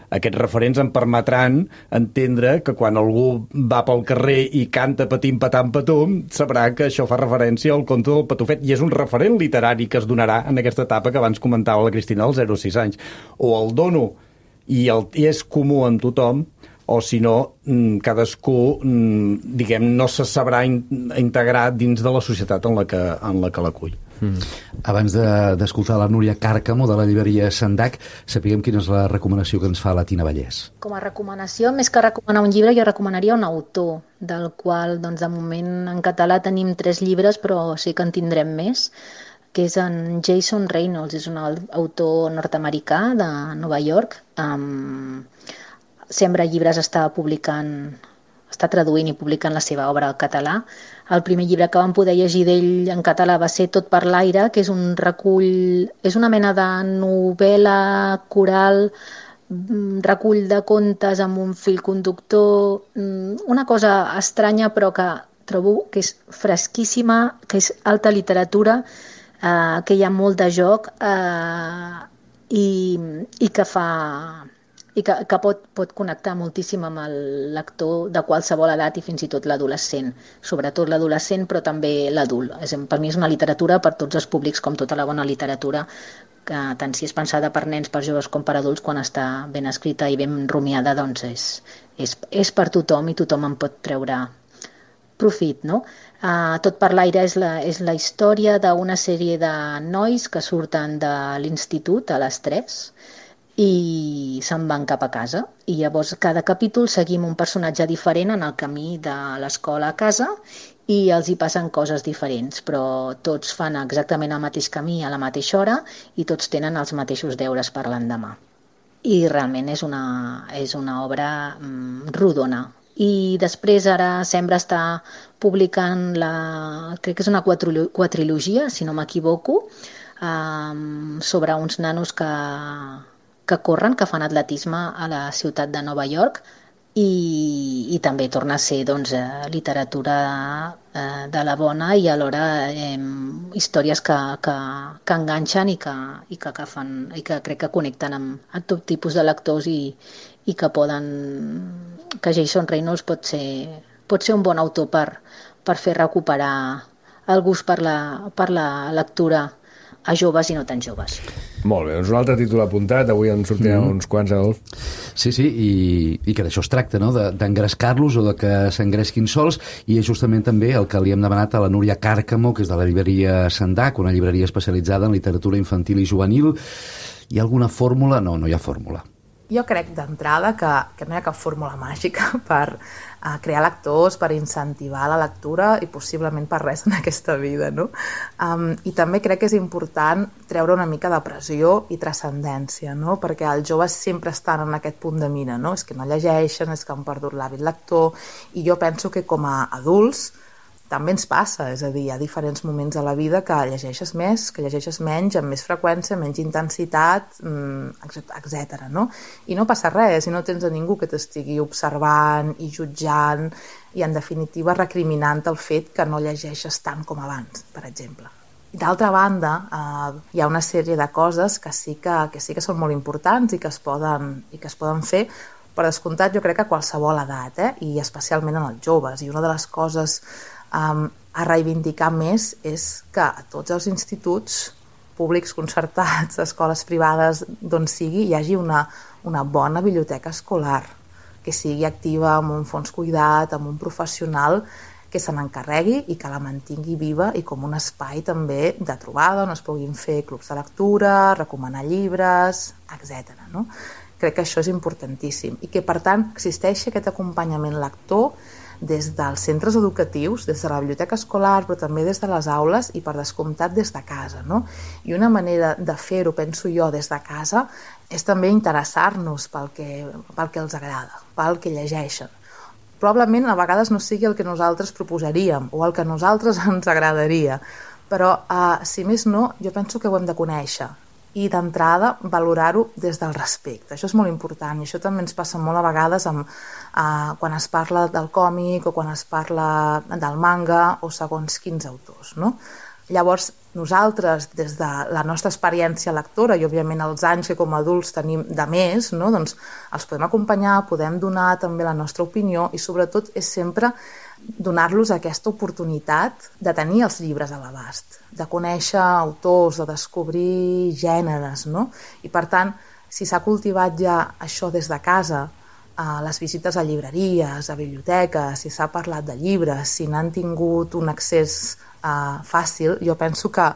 Aquests referents em permetran entendre que quan algú va pel carrer i canta patim patam patum, sabrà que això fa referència al conte del Patufet i és un referent literari que es donarà en aquesta etapa que abans comentava la Cristina dels 0 a 6 anys. O el dono i és comú en tothom, o si no, cadascú, diguem, no se sabrà integrar dins de la societat en la que l'acull. Abans d'escoltar la Núria Càrcamo de la llibreria Sandac, sapiguem quina és la recomanació que ens fa la Tina Vallès. Com a recomanació, més que recomanar un llibre, jo recomanaria un autor, del qual, doncs, de moment en català tenim 3 llibres, però sí que en tindrem més, que és en Jason Reynolds, és un autor nord-americà de Nova York. Sembra Llibres està traduint i publicant la seva obra al català. El primer llibre que vam poder llegir d'ell en català va ser Tot per l'aire, que és un recull, és una mena de novel·la coral, recull de contes amb un fil conductor, una cosa estranya però que trobo que és fresquíssima, que és alta literatura, que hi ha molt de joc i que fa... i que pot connectar moltíssim amb el lector de qualsevol edat i fins i tot l'adolescent, sobretot l'adolescent però també l'adult. Per mi és una literatura per tots els públics, com tota la bona literatura, que tant si és pensada per nens, per joves com per adults, quan està ben escrita i ben rumiada, doncs és per tothom i tothom en pot treure profit, no? Tot per l'aire és la història d'una sèrie de nois que surten de l'institut a les 3 i se'n van cap a casa. I llavors cada capítol seguim un personatge diferent en el camí de l'escola a casa i els hi passen coses diferents, però tots fan exactament el mateix camí a la mateixa hora i tots tenen els mateixos deures per l'endemà. I realment és una obra rodona. I després ara Sembra està publicant crec que és una quadrilogia, si no m'equivoco, sobre uns nanos que corren, que fan atletisme a la ciutat de Nova York i també torna a ser literatura de la bona i alhora històries que enganxen i que crec que connecten amb tot tipus de lectors i que Jason Reynolds pot ser un bon autor per fer recuperar el gust per la lectura a joves i no tan joves. Molt bé, doncs un altre títol apuntat, avui en sortiran uns quants, Adolf. Sí, i que d'això es tracta, no? D'engrescar-los o de que s'engresquin sols, i és justament també el que li hem demanat a la Núria Càrcamo, que és de la llibreria Sandac, una llibreria especialitzada en literatura infantil i juvenil. Hi ha alguna fórmula? No hi ha fórmula. Jo crec d'entrada que no hi ha cap fórmula màgica per crear lectors, per incentivar la lectura i possiblement per res en aquesta vida, no? I també crec que és important treure una mica de pressió i transcendència, no? Perquè els joves sempre estan en aquest punt de mira, no? És que no llegeixen, és que han perdut l'hàbit lector, i jo penso que com a adults també ens passa, és a dir, hi ha diferents moments a la vida que llegeixes més, que llegeixes menys, amb més freqüència, menys intensitat, etc. no? I no passa res, si no tens a ningú que t'estigui observant i jutjant i, en definitiva, recriminant el fet que no llegeixes tant com abans, per exemple. I d'altra banda, hi ha una sèrie de coses que sí que són molt importants i que es poden fer, per descomptat, jo crec que a qualsevol edat, i especialment en els joves. I una de les coses a reivindicar més és que a tots els instituts públics, concertats, escoles privades, d'on sigui, hi hagi una bona biblioteca escolar, que sigui activa, amb un fons cuidat, amb un professional que se n'encarregui i que la mantingui viva i com un espai també de trobada on es puguin fer clubs de lectura, recomanar llibres, etc. No? Crec que això és importantíssim i que, per tant, existeixi aquest acompanyament lector des dels centres educatius, des de la biblioteca escolar, però també des de les aules i, per descomptat, des de casa, no? I una manera de fer-ho, penso jo, des de casa, és també interessar-nos pel que els agrada, pel que llegeixen. Probablement a vegades no sigui el que nosaltres proposaríem o el que a nosaltres ens agradaria, però, si més no, jo penso que ho hem de conèixer i d'entrada valorar-ho des del respecte. Això és molt important i això també ens passa molt a vegades quan es parla del còmic o quan es parla del manga o segons quins autors, no? Llavors, nosaltres, des de la nostra experiència lectora i, òbviament, els anys que com a adults tenim de més, no? Doncs els podem acompanyar, podem donar també la nostra opinió i, sobretot, és sempre donar-los aquesta oportunitat de tenir els llibres a l'abast, de conèixer autors, de descobrir gèneres, no? I, per tant, si s'ha cultivat ja això des de casa, les visites a llibreries, a biblioteques, si s'ha parlat de llibres, si n'han tingut un accés fàcil, jo penso que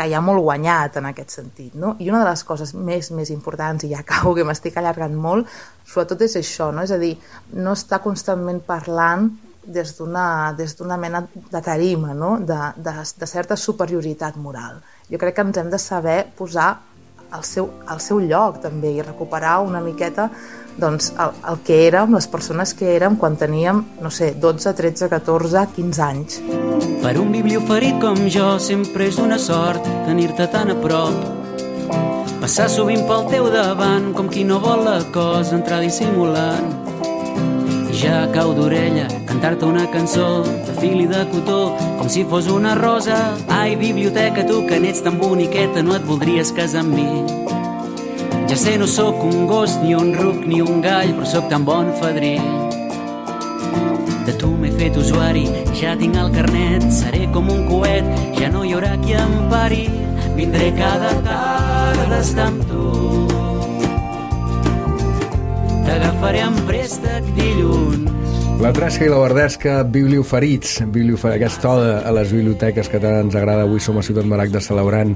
hi ha molt guanyat en aquest sentit, no? I una de les coses més importants, i ja acabo que m'estic allargant molt, sobretot és això, no? És a dir, no estar constantment parlant des d'una mena de tarima, no? de certa superioritat moral. Jo crec que ens hem de saber posar al seu lloc també i recuperar una miqueta doncs, el que érem, les persones que érem quan teníem, no sé, 12, 13, 14, 15 anys. Per un biblioferit com jo sempre és una sort tenir-te tan a prop. Passar sovint pel teu davant com qui no vol la cosa entrar dissimulant. I ja cau d'orella cantar-te una cançó de fil i de cotó com si fos una rosa. Ai, biblioteca, tu que n'ets tan boniqueta, no et voldries casar amb mi. Ja sé, no sóc un gos, ni un ruc, ni un gall, però sóc tan bon fadrí. De tu m'he fet usuari, ja tinc el carnet, seré com un coet, ja no hi haurà qui em pari. Vindré cada tarda a estar amb tu. T'agafaré en préstec dilluns. La Tresca i la Verdesca, biblioferits, aquesta oda a les biblioteques que tant ens agrada. Avui som a Ciutat Maragda celebrant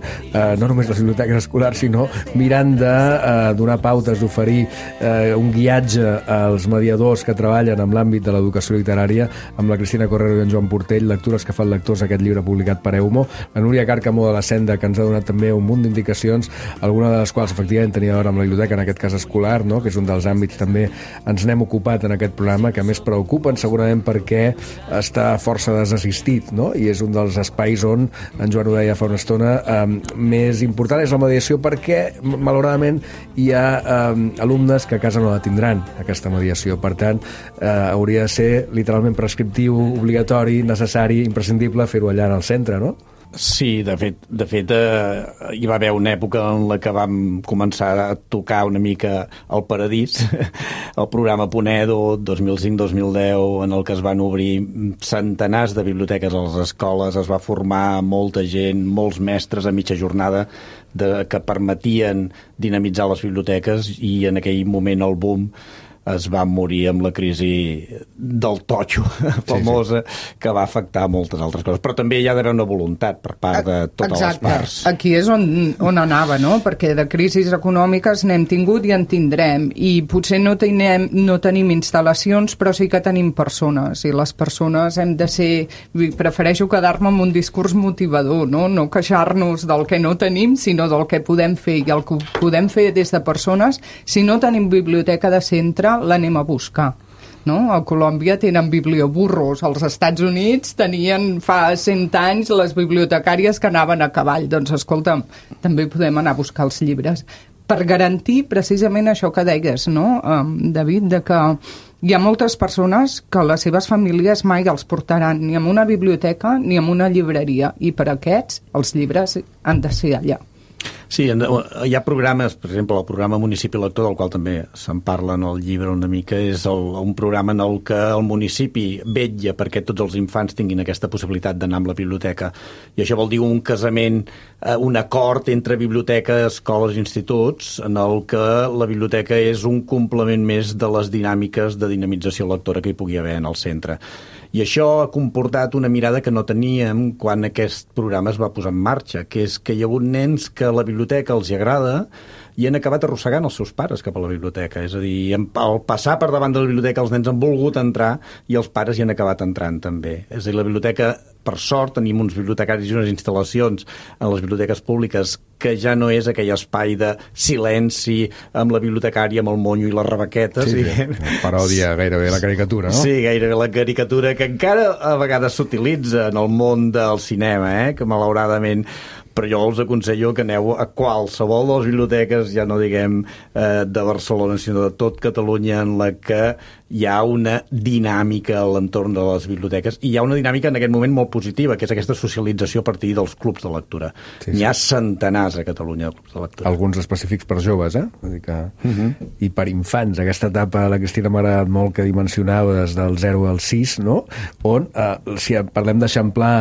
no només les biblioteques escolars, sinó mirant de donar pautes, d'oferir un guiatge als mediadors que treballen en l'àmbit de l'educació literària, amb la Cristina Correro i en Joan Portell, lectures que fan lectors, aquest llibre publicat per Eumo, la Núria Càrcamo de la Senda, que ens ha donat també un munt d'indicacions, alguna de les quals efectivament tenia a veure amb la biblioteca, en aquest cas escolar, no? Que és un dels àmbits també ens n'hem ocupat en aquest programa, que més preocupen segurament perquè està força desassistit, no? I és un dels espais on, en Joan ho deia fa una estona, més important és la mediació, perquè malauradament hi ha alumnes que a casa no la tindran, aquesta mediació. Per tant, hauria de ser literalment prescriptiu, obligatori, necessari, imprescindible fer-ho allà en el centre, no? Sí, de fet hi va haver una època en la que vam començar a tocar una mica el paradís, el programa Punedo 2005-2010, en el que es van obrir centenars de biblioteques a les escoles, es va formar molta gent, molts mestres a mitja jornada que permetien dinamitzar les biblioteques, i en aquell moment el boom es va morir amb la crisi del totxo famosa, que va afectar moltes altres coses. Però també hi ha d'haver una voluntat per part de totes les parts. Aquí és on anava, no? Perquè de crisis econòmiques n'hem tingut i en tindrem. I potser no tenim instal·lacions, però sí que tenim persones. I les persones hem de ser... Prefereixo quedar-me amb un discurs motivador, no? No queixar-nos del que no tenim, sinó del que podem fer. I el que podem fer des de persones, si no tenim biblioteca de centre, l'anem a buscar. No? A Colòmbia tenen biblioburros, als Estats Units tenien fa 100 anys les bibliotecàries que anaven a cavall. Doncs escolta'm, també podem anar a buscar els llibres per garantir precisament això que deies, no, David, de que hi ha moltes persones que les seves famílies mai els portaran ni a una biblioteca ni a una llibreria, i per aquests els llibres han de ser allà. Sí, hi ha programes, per exemple, el programa Municipi Lector, del qual també se'n parla en el llibre una mica, és un programa en el que el municipi vetlla perquè tots els infants tinguin aquesta possibilitat d'anar amb la biblioteca. I això vol dir un casament, un acord entre biblioteca, escoles i instituts, en el que la biblioteca és un complement més de les dinàmiques de dinamització lectora que hi pugui haver en el centre. I això ha comportat una mirada que no teníem quan aquest programa es va posar en marxa, que és que hi ha hagut nens que la biblioteca els hi agrada i han acabat arrossegant els seus pares cap a la biblioteca. És a dir, al passar per davant de la biblioteca els nens han volgut entrar i els pares hi han acabat entrant també. És a dir, la biblioteca, per sort, tenim uns bibliotecaris i unes instal·lacions en les biblioteques públiques que ja no és aquell espai de silenci amb la bibliotecària, amb el monyo i les rebequetes. Sí, paròdia gairebé la caricatura, no? Sí, gairebé la caricatura, que encara a vegades s'utilitza en el món del cinema, que malauradament... Però jo us aconsello que aneu a qualsevol de les biblioteques, ja no diguem de Barcelona, sinó de tot Catalunya, en la que hi ha una dinàmica a l'entorn de les biblioteques, i hi ha una dinàmica en aquest moment molt positiva, que és aquesta socialització a partir dels clubs de lectura. Sí. N'hi ha centenars a Catalunya de clubs de lectura. Alguns específics per joves, Vull dir que... I per infants, aquesta etapa, la Cristina, m'ha agradat molt, que dimensionava des del 0 al 6, no? On, si parlem d'eixamplar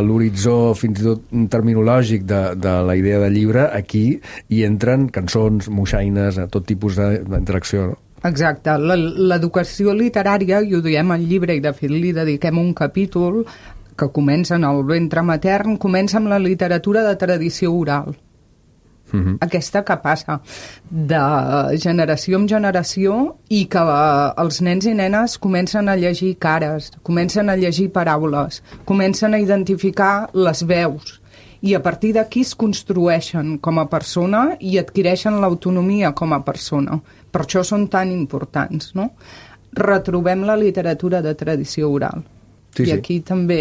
l'horitzó fins i tot terminològic de la idea de llibre, aquí hi entren cançons, moixaines, tot tipus d'interacció, no? Exacte. L'educació literària, i ho diem al llibre, i de fet li dediquem un capítol que comença en el ventre matern, comença amb la literatura de tradició oral. Aquesta que passa de generació en generació i que els nens i nenes comencen a llegir cares, comencen a llegir paraules, comencen a identificar les veus i a partir d'aquí es construeixen com a persona i adquireixen l'autonomia com a persona. Per això són tan importants, no? Retrobem la literatura de tradició oral. Sí, I aquí també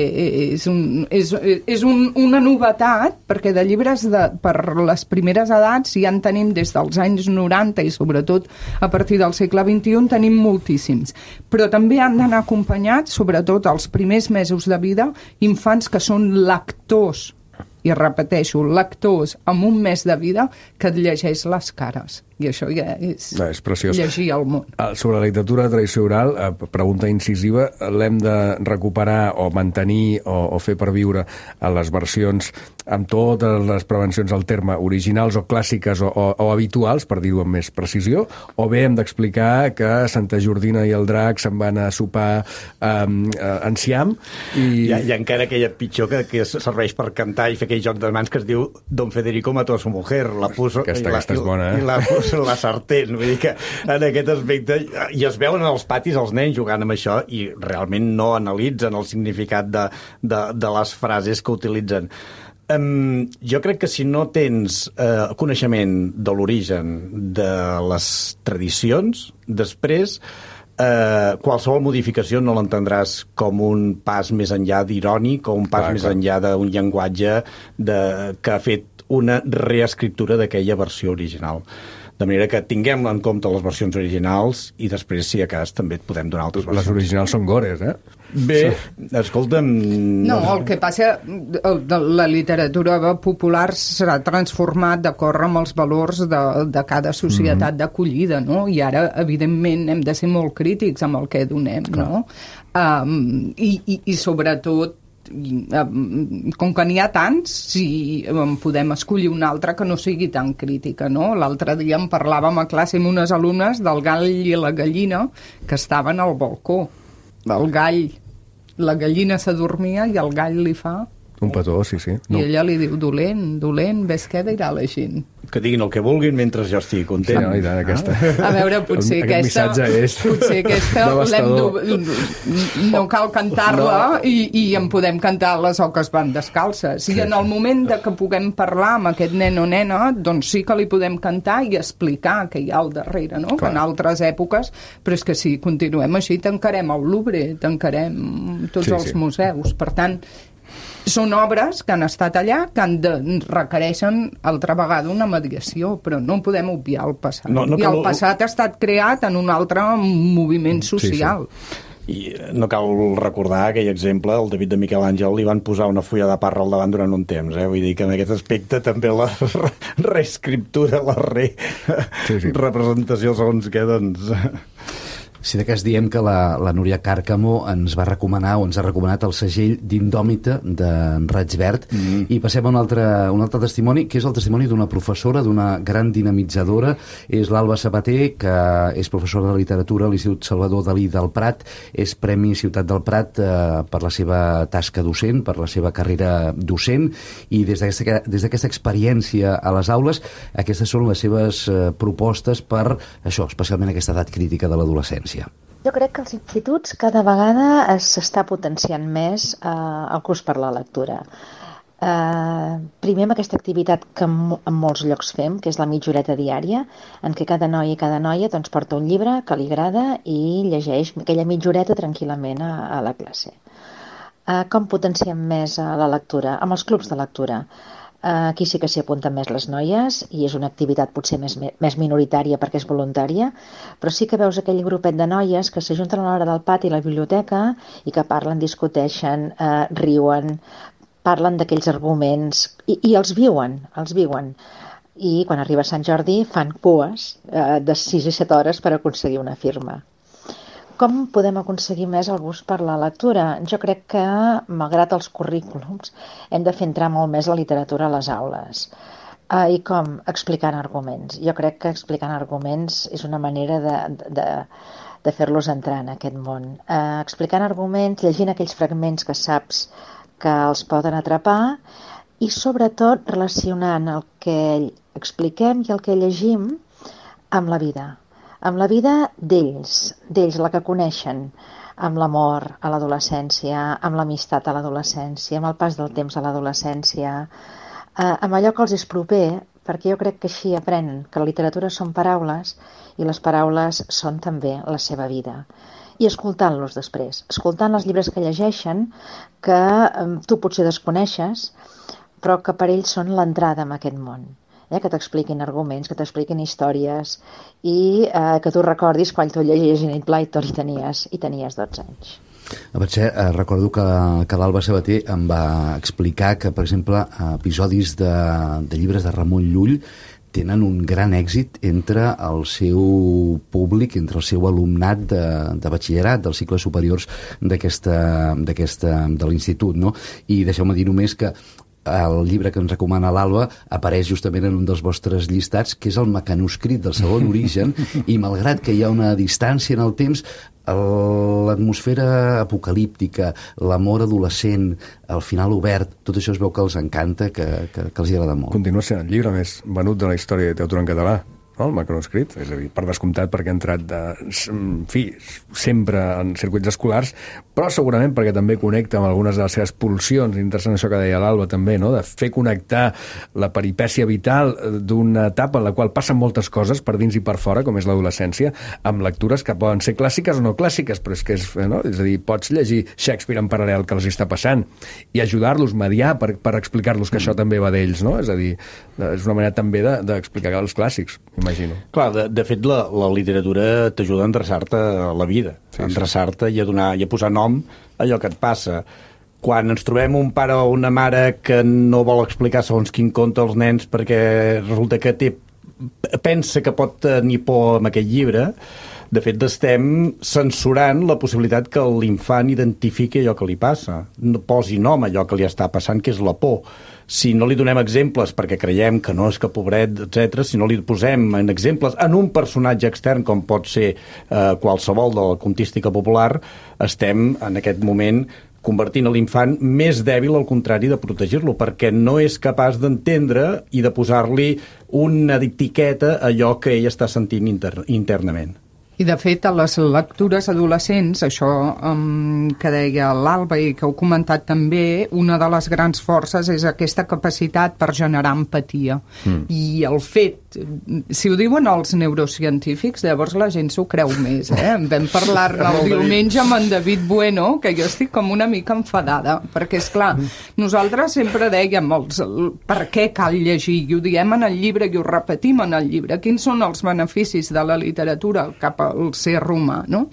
és una novetat, perquè de llibres per les primeres edats ja en tenim des dels anys 90 i sobretot a partir del segle XXI tenim moltíssims. Però també han d'anar acompanyats, sobretot els primers mesos de vida, infants que són lectors, i repeteixo, lectors amb un mes de vida que et llegeix les cares. I això ja és preciós. Llegir el món. Sobre la literatura de tradició oral, pregunta incisiva, l'hem de recuperar o mantenir o fer perviure a les versions amb totes les prevencions al terme originals o clàssiques o habituals, per dir-ho amb més precisió, o bé hem d'explicar que Santa Jordina i el drac se'n van a sopar enciam i... Hi ha encara aquella pitjor que serveix per cantar i fer aquell joc de mans que es diu Don Federico mató a su mujer, la puso... Aquesta és bona, I la puso la sartén, vull dir que en aquest aspecte i es veuen als patis els nens jugant amb això i realment no analitzen el significat de les frases que utilitzen. Jo crec que si no tens coneixement de l'origen de les tradicions, després qualsevol modificació no l'entendràs com un pas més enllà d'irònic o un pas més enllà d'un llenguatge que ha fet una reescriptura d'aquella versió original. De manera que tinguem en compte les versions originals i després, si a cas, també et podem donar altres versions. Les originals són gores, Bé, escolta'm... No, el que passa, la literatura popular s'ha transformat d'acord amb els valors de cada societat d'acollida, no? I ara, evidentment, hem de ser molt crítics amb el que donem, no? I sobretot, com que n'hi ha tants, si podem escollir una altra que no sigui tan crítica, no? L'altre dia en parlàvem a classe amb unes alumnes del gall i la gallina que estaven al balcó. El gall, la gallina s'adormia i el gall li fa... Un petó, sí. No. I ella li diu, dolent, ves què dirà la gent. Que diguin el que vulguin mentre jo estigui content. Sí, no, i tant, aquesta. A veure, potser aquesta no cal cantar-la i en podem cantar les oques van descalces. I en el moment que puguem parlar amb aquest nen o nena, doncs sí que li podem cantar i explicar què hi ha al darrere, no? Que en altres èpoques, però és que si continuem així tancarem el Louvre, tancarem tots els museus. Per tant, són obres que han estat allà, que requereixen altra vegada una mediació, però no podem obviar el passat. I el passat ha estat creat en un altre moviment social. I no cal recordar aquell exemple, el David de Miquel Àngel li van posar una fulla de parra al davant durant un temps, vull dir que en aquest aspecte també la reescriptura, la representació segons què, doncs... Si de cas diem que la Núria Càrcamo ens va recomanar o ens ha recomanat el segell d'Indòmita d'en Raig Verd i passem a un altre testimoni, que és el testimoni d'una professora, d'una gran dinamitzadora, és l'Alba Sabater, que és professora de literatura a l'Institut Salvador Dalí del Prat, és Premi Ciutat del Prat per la seva tasca docent, per la seva carrera docent, i des d'aquesta experiència a les aules, aquestes són les seves propostes per això, especialment aquesta edat crítica de l'adolescència. Jo crec que als instituts cada vegada s'està potenciant més el curs per la lectura. Primer amb aquesta activitat que en molts llocs fem, que és la mitja horeta diària, en què cada noi i cada noia doncs, porta un llibre que li agrada i llegeix aquella mitja horeta tranquil·lament a la classe. Com potenciem més la lectura? Amb els clubs de lectura. Aquí sí que s'hi apunten més les noies i és una activitat potser més minoritària perquè és voluntària, però sí que veus aquell grupet de noies que s'ajunten a l'hora del pati a la biblioteca i que parlen, discuteixen, riuen, parlen d'aquells arguments i els viuen. I quan arriba Sant Jordi fan cues de 6 i 7 hores per aconseguir una firma. Com podem aconseguir més el gust per la lectura? Jo crec que, malgrat els currículums, hem de fer entrar molt més la literatura a les aules. I com? Explicant arguments. Jo crec que explicant arguments és una manera de fer-los entrar en aquest món. Explicant arguments, llegint aquells fragments que saps que els poden atrapar i sobretot relacionant el que expliquem i el que llegim amb la vida d'ells, la que coneixen, amb l'amor a l'adolescència, amb l'amistat a l'adolescència, amb el pas del temps a l'adolescència, amb allò que els és proper, perquè jo crec que així aprenen que la literatura són paraules i les paraules són també la seva vida. I escoltant-los després, escoltant els llibres que llegeixen, que tu potser desconeixes, però que per ells són l'entrada en aquest món. Que t'expliquin arguments, que t'expliquin històries i que tu recordis quan tu llegies Enid Blyton i tenies 12 anys. Recordo que l'Alba Sabater em va explicar que, per exemple, episodis de llibres de Ramon Llull tenen un gran èxit entre el seu públic, entre el seu alumnat de batxillerat, dels cicles superiors de l'institut, no? I deixeu-me dir només que el llibre que ens recomana l'Alba apareix justament en un dels vostres llistats, que és el mecanoscrit del segon origen, i malgrat que hi ha una distància en el temps, l'atmosfera apocalíptica, l'amor adolescent, el final obert, tot això es veu que els encanta, que els agrada molt. Continua sent el llibre més venut de la història de literatura en català, el mecanoscrit, és a dir, per descomptat perquè ha entrat sempre en circuits escolars, però segurament perquè també connecta amb algunes de les seves pulsions, interessant això que deia l'Alba també, no? De fer connectar la peripècia vital d'una etapa en la qual passen moltes coses per dins i per fora, com és l'adolescència, amb lectures que poden ser clàssiques o no clàssiques, però és que és a dir, pots llegir Shakespeare en paral·lel que els està passant i ajudar-los, mediar per explicar-los que això també va d'ells, no? És a dir, és una manera també d'explicar els clàssics, imagino. Clar, de fet, la literatura t'ajuda a endreçar-te a la vida, a endreçar-te i a posar nom a allò que et passa. Quan ens trobem un pare o una mare que no vol explicar segons quin conte als nens perquè resulta que pensa que pot tenir por amb aquest llibre, de fet, estem censurant la possibilitat que l'infant identifiqui allò que li passa, posi nom a allò que li està passant, que és la por. Si no li donem exemples perquè creiem que no és que pobret, etc., si no li posem en exemples en un personatge extern com pot ser qualsevol de la contística popular, estem en aquest moment convertint l'infant més dèbil, al contrari de protegir-lo, perquè no és capaç d'entendre i de posar-li una etiqueta a allò que ell està sentint internament. I, de fet, a les lectures adolescents, això que deia l'Alba i que heu comentat també, una de les grans forces és aquesta capacitat per generar empatia. I el fet, si ho diuen els neurocientífics, llavors la gent s'ho creu més. Vam parlar-ne el diumenge amb en David Bueno, que jo estic com una mica enfadada, perquè, esclar, nosaltres sempre dèiem per què cal llegir, i ho diem en el llibre i ho repetim en el llibre, quins són els beneficis de la literatura cap al ser humà, no?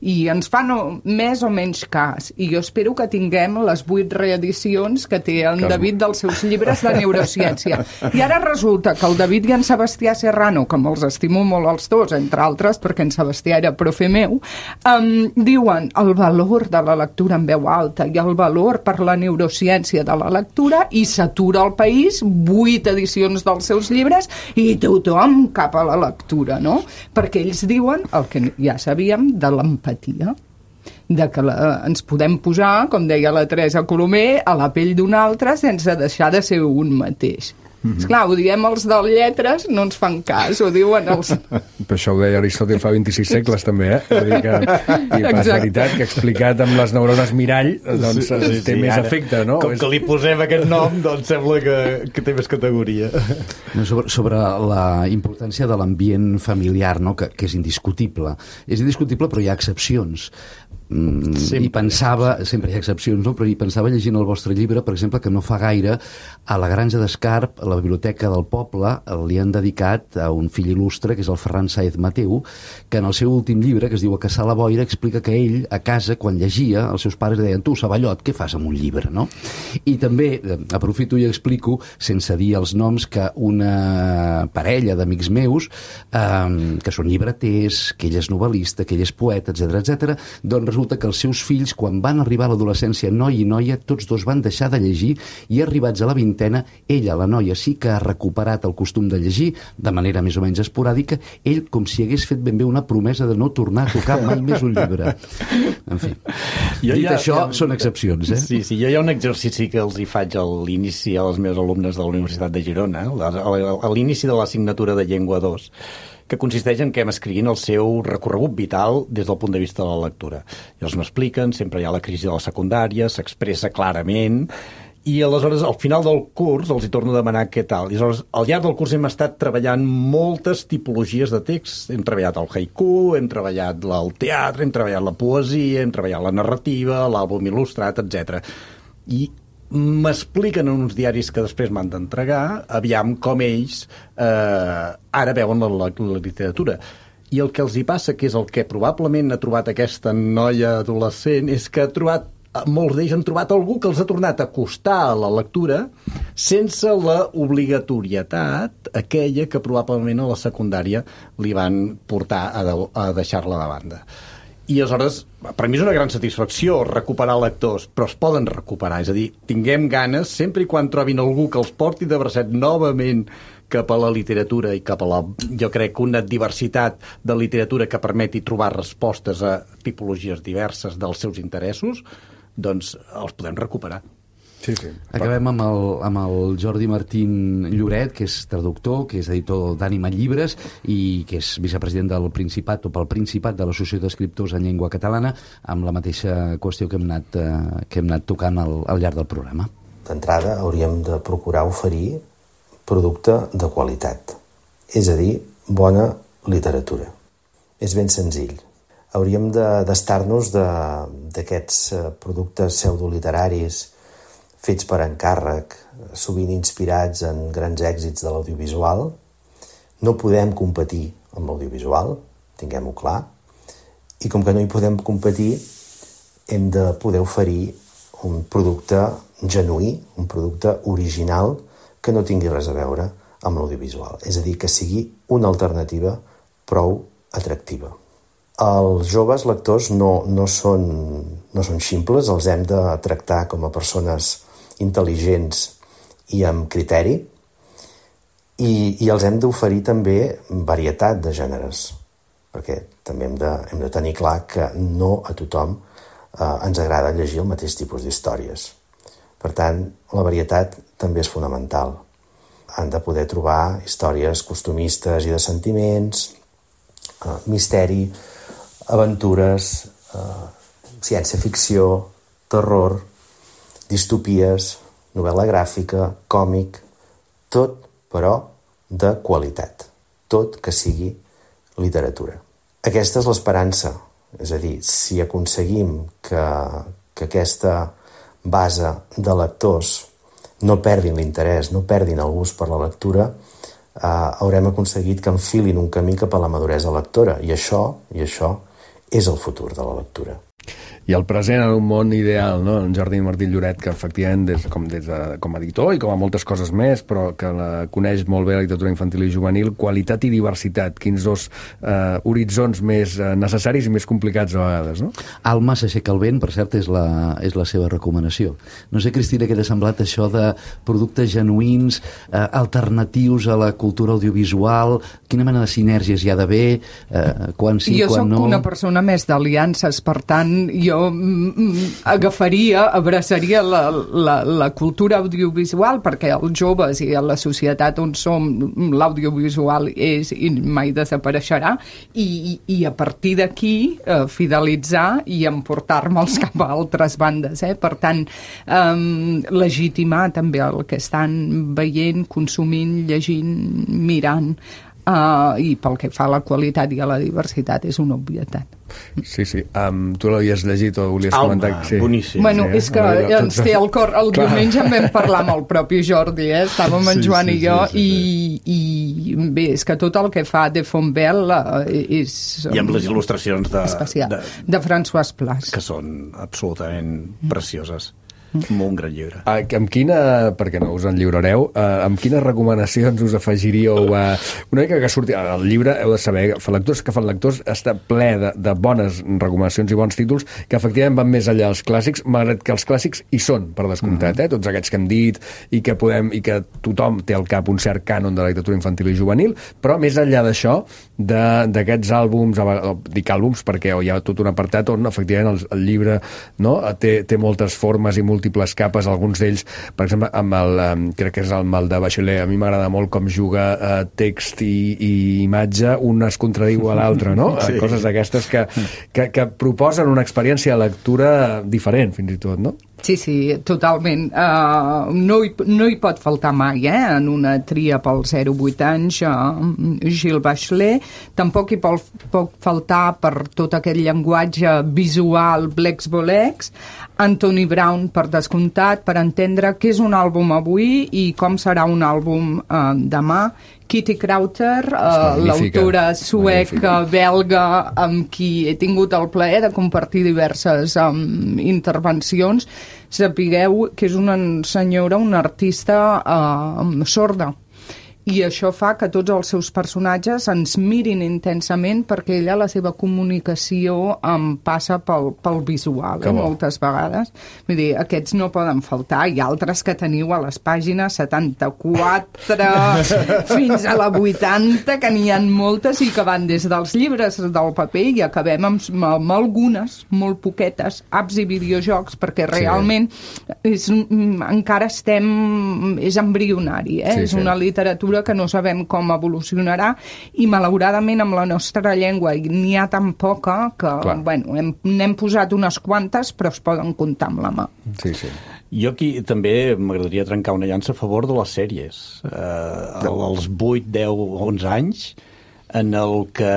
I ens fan més o menys cas. I jo espero que tinguem les 8 reedicions que té en David dels seus llibres de neurociència. I ara resulta que el David i en Sebastià Serrano, que me'ls estimo molt els dos, entre altres, perquè en Sebastià era profe meu, diuen el valor de la lectura en veu alta i el valor per la neurociència de la lectura, i s'atura al país 8 edicions dels seus llibres i tothom cap a la lectura, no? Perquè ells diuen el que ja sabíem de l'empatia, de que ens podem posar, com deia la Teresa Colomer, a la pell d'un altre sense deixar de ser un mateix. Esclar, ho diem els de lletres, no ens fan cas, ho diuen els... Però això ho deia Aristòtil fa 26 segles, també, És a dir que, i és veritat que explicat amb les neurones mirall, doncs té més efecte, no? Com que li posem aquest nom, doncs sembla que té més categoria. Sobre la importància de l'ambient familiar, no? Que és indiscutible. És indiscutible, però hi ha excepcions. I pensava, sempre hi ha excepcions, no? Però hi pensava llegint el vostre llibre, per exemple, que no fa gaire a la Granja d'Escarp, a la Biblioteca del Poble, li han dedicat a un fill il·lustre, que és el Ferran Sáez Mateu, que en el seu últim llibre, que es diu A caçar la boira, explica que ell, a casa, quan llegia, els seus pares deien: tu, Savallot, què fas amb un llibre, no? I també, aprofito i explico, sense dir els noms, que una parella d'amics meus, que són llibreters, que ell és novel·lista, que ell és poeta, etc, doncs resulta que els seus fills, quan van arribar a l'adolescència, noi i noia, tots dos van deixar de llegir i arribats a la vintena, ella, la noia, sí que ha recuperat el costum de llegir de manera més o menys esporàdica, ell com si hagués fet ben bé una promesa de no tornar a tocar mai més un llibre. En fi, això, són excepcions, eh? Sí, jo hi ha un exercici que els hi faig a l'inici als meus alumnes de la Universitat de Girona, a l'inici de l'assignatura de Llengua 2, que consisteix en que m'escriguin el seu recorregut vital des del punt de vista de la lectura. I els m'expliquen, sempre hi ha la crisi de la secundària, s'expressa clarament, i aleshores al final del curs els hi torno a demanar què tal. I aleshores al llarg del curs hem estat treballant moltes tipologies de text. Hem treballat el haiku, hem treballat el teatre, hem treballat la poesia, hem treballat la narrativa, l'àlbum il·lustrat, etc. I m'expliquen en uns diaris que després m'han d'entregar, aviam com ells ara veuen la literatura. I el que els hi passa, que és el que probablement ha trobat aquesta noia adolescent, és que molts d'ells han trobat algú que els ha tornat a acostar a la lectura sense la obligatorietat aquella que probablement a la secundària li van portar a deixar-la de banda. I aleshores, per mi és una gran satisfacció recuperar lectors, però es poden recuperar, és a dir, tinguem ganes, sempre i quan trobin algú que els porti de bracet novament cap a la literatura i cap a jo crec, una diversitat de literatura que permeti trobar respostes a tipologies diverses dels seus interessos, doncs els podem recuperar. Sí. Acabem amb el Jordi Martín Lloret, que és traductor, que és editor d'Ànima Llibres i que és vicepresident del Principat o pel Principat de l'Associació d'Escriptors en Llengua Catalana, amb la mateixa qüestió que hem anat tocant al llarg del programa. D'entrada hauríem de procurar oferir producte de qualitat, és a dir, bona literatura. És ben senzill. Hauríem d'estar-nos d'aquests productes pseudoliteraris fets per encàrrec, sovint inspirats en grans èxits de l'audiovisual. No podem competir amb l'audiovisual, tinguem-ho clar, i com que no hi podem competir, hem de poder oferir un producte genuí, un producte original que no tingui res a veure amb l'audiovisual. És a dir, que sigui una alternativa prou atractiva. Els joves lectors no són ximples, els hem de tractar com a persones intel·ligents i amb criteri i els hem d'oferir també varietat de gèneres, perquè també hem de tenir clar que no a tothom ens agrada llegir el mateix tipus d'històries. Per tant, la varietat també és fonamental. Han de poder trobar històries costumistes i de sentiments, misteri, aventures, ciència-ficció, terror, distopies, novel·la gràfica, còmic, tot, però, de qualitat. Tot que sigui literatura. Aquesta és l'esperança. És a dir, si aconseguim que aquesta base de lectors no perdin l'interès, no perdin el gust per la lectura, haurem aconseguit que enfilin un camí cap a la maduresa lectora. I això és el futur de la lectura. I el present en un món ideal, no? En Jordi Martín Lloret, que efectivament com a editor i com a moltes coses més, però que coneix molt bé la literatura infantil i juvenil, qualitat i diversitat, quins dos horitzons més necessaris i més complicats a vegades, no? Alma s'aixeca el vent, per cert, és la seva recomanació. No sé, Cristina, què t'ha semblat això de productes genuïns, alternatius a la cultura audiovisual, quina mena de sinergies hi ha d'haver, quan sí, quan no... Jo soc una persona més d'aliances, per tant, jo abraçaria la cultura audiovisual, perquè els joves i a la societat on som l'audiovisual és i mai desapareixerà, i a partir d'aquí fidelitzar i emportar-me'ls cap a altres bandes. Per tant, legitimar també el que estan veient, consumint, llegint, mirant, i pel que fa a la qualitat i a la diversitat és una obvietat. Sí. Tu l'havies llegit o volies comentar? Sí. Boníssim. Bueno, és que ens té el cor. El diumenge en vam parlar amb el propi Jordi, estàvem en Joan i jo, i bé, és que tot el que fa de Fontbel és... I amb les il·lustracions especial, de François Plas. Que són absolutament precioses. Molt un gran llibre. Amb quina, perquè no us en lliurareu, amb quines recomanacions us afegiríeu una mica que surti el llibre? Heu de saber, Lectors que fan lectors està ple de bones recomanacions i bons títols que efectivament van més enllà dels clàssics, malgrat que els clàssics hi són, per descomptat, tots aquests que hem dit i que tothom té al cap un cert cànon de la literatura infantil i juvenil, però més enllà d'això, d'aquests àlbums, dic àlbums perquè hi ha tot un apartat on efectivament el llibre té moltes formes i múltiples capes, alguns d'ells, per exemple, crec que és el mal de Bachelet, a mi m'agrada molt com juga text i imatge, un es contradiu a l'altre, no? Sí. Coses d'aquestes que proposen una experiència de lectura diferent, fins i tot, no? Sí, totalment. No hi pot faltar mai, en una tria pels 0-8 anys, Gilles Bachelet. Tampoc hi pot faltar per tot aquest llenguatge visual Blex-Bolex, Anthony Brown, per descomptat, per entendre què és un àlbum avui i com serà un àlbum demà. Kitty Krauter, l'autora sueca, belga, amb qui he tingut el plaer de compartir diverses intervencions. Sapigueu que és una senyora, una artista sorda. I això fa que tots els seus personatges ens mirin intensament perquè ella, la seva comunicació passa pel visual, moltes vegades. Vull dir, aquests no poden faltar. Hi ha altres que teniu a les pàgines 74 fins a la 80, que n'hi ha moltes i que van des dels llibres del paper i acabem amb algunes, molt poquetes, apps i videojocs, perquè realment encara és embrionari, és una literatura que no sabem com evolucionarà i malauradament amb la nostra llengua n'hi ha tan poca que n'hem posat unes quantes però es poden comptar amb la mà. Sí. Jo aquí també m'agradaria trencar una llança a favor de les sèries. Els 8, 10, 11 anys en el que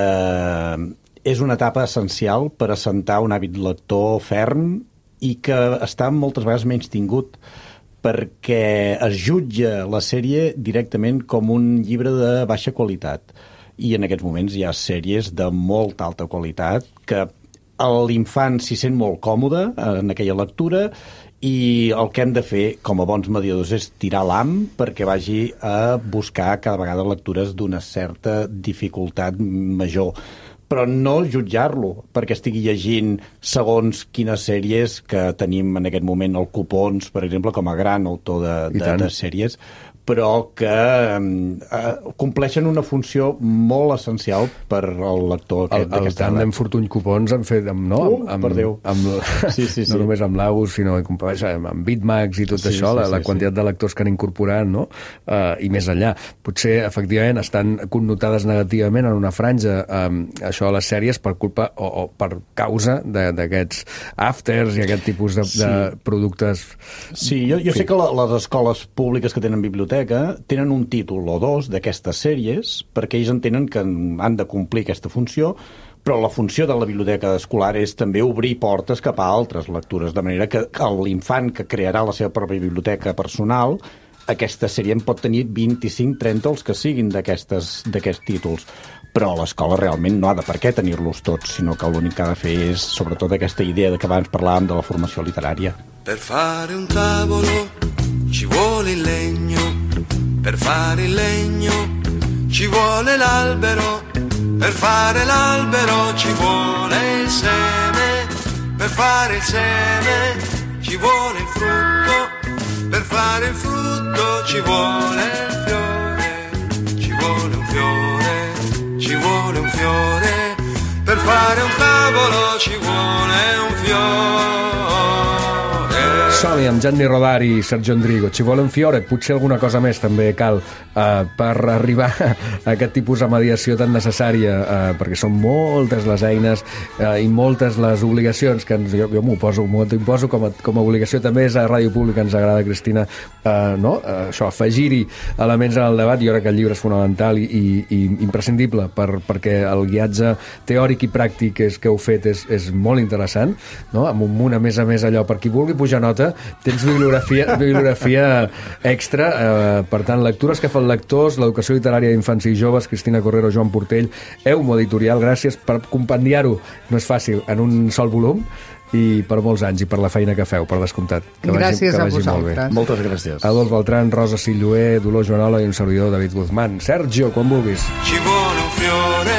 és una etapa essencial per assentar un hàbit lector ferm i que està moltes vegades menys tingut perquè es jutja la sèrie directament com un llibre de baixa qualitat. I en aquests moments hi ha sèries de molta alta qualitat que l'infant s'hi sent molt còmode en aquella lectura i el que hem de fer com a bons mediadors és tirar l'ham perquè vagi a buscar cada vegada lectures d'una certa dificultat major, però no jutjar-lo perquè estigui llegint segons quines sèries que tenim en aquest moment el Copons, per exemple, com a gran autor de sèries, però que compleixen una funció molt essencial per al lector. El tàndem Fortuny Copons han fet, per Déu. No només amb l'Aus, sinó amb Bitmax i tot això, la quantitat de lectors que han incorporat, no? I més enllà. Potser, efectivament, estan connotades negativament en una franja això de les sèries per culpa o per causa d'aquests afters i aquest tipus de productes. Sí, jo sé que les escoles públiques que tenen biblioteca tenen un títol o dos d'aquestes sèries perquè ells entenen que han de complir aquesta funció, però la funció de la biblioteca escolar és també obrir portes cap a altres lectures, de manera que l'infant que crearà la seva pròpia biblioteca personal, aquesta sèrie en pot tenir 25, 30, els que siguin d'aquests títols. Però l'escola realment no ha de per què tenir-los tots, sinó que l'únic que ha de fer és, sobretot, aquesta idea de que abans parlàvem de la formació literària. Per fare un tavolo ci vuole il legno, per fare il legno ci vuole l'albero, per fare l'albero ci vuole il seme, per fare il seme ci vuole il frutto, per fare il frutto ci vuole il fiore, ci vuole un fiore, ci vuole un fiore, per fare un tavolo ci vuole un fiore. Som-hi amb Gianni Rodari i Sergio Endrigo. Ci vuole un fiore, potser alguna cosa més també cal per arribar a aquest tipus de mediació tan necessària, perquè són moltes les eines i moltes les obligacions que jo m'imposo com a obligació. També és a Ràdio Pública, ens agrada, Cristina, això, afegir-hi elements en el debat. Jo crec que el llibre és fonamental i imprescindible perquè el guiatge teòric i pràctic que heu fet és molt interessant, no? Amb un munt, a més allò, per qui vulgui pujar nota, tens bibliografia extra, per tant, lectures que fan lectors, l'educació literària d'infants i joves, Cristina Correro, Joan Portell, Eumo Editorial, gràcies per compendiar-ho, no és fàcil, en un sol volum, i per molts anys, i per la feina que feu, per descomptat. Gràcies a vosaltres. Molt bé. Moltes gràcies. Adolf Beltrán, Rosa Silloé, Dolors Joanola i un servidor, David Guzmán. Sergio, quan vulguis. Ci vuole un fiore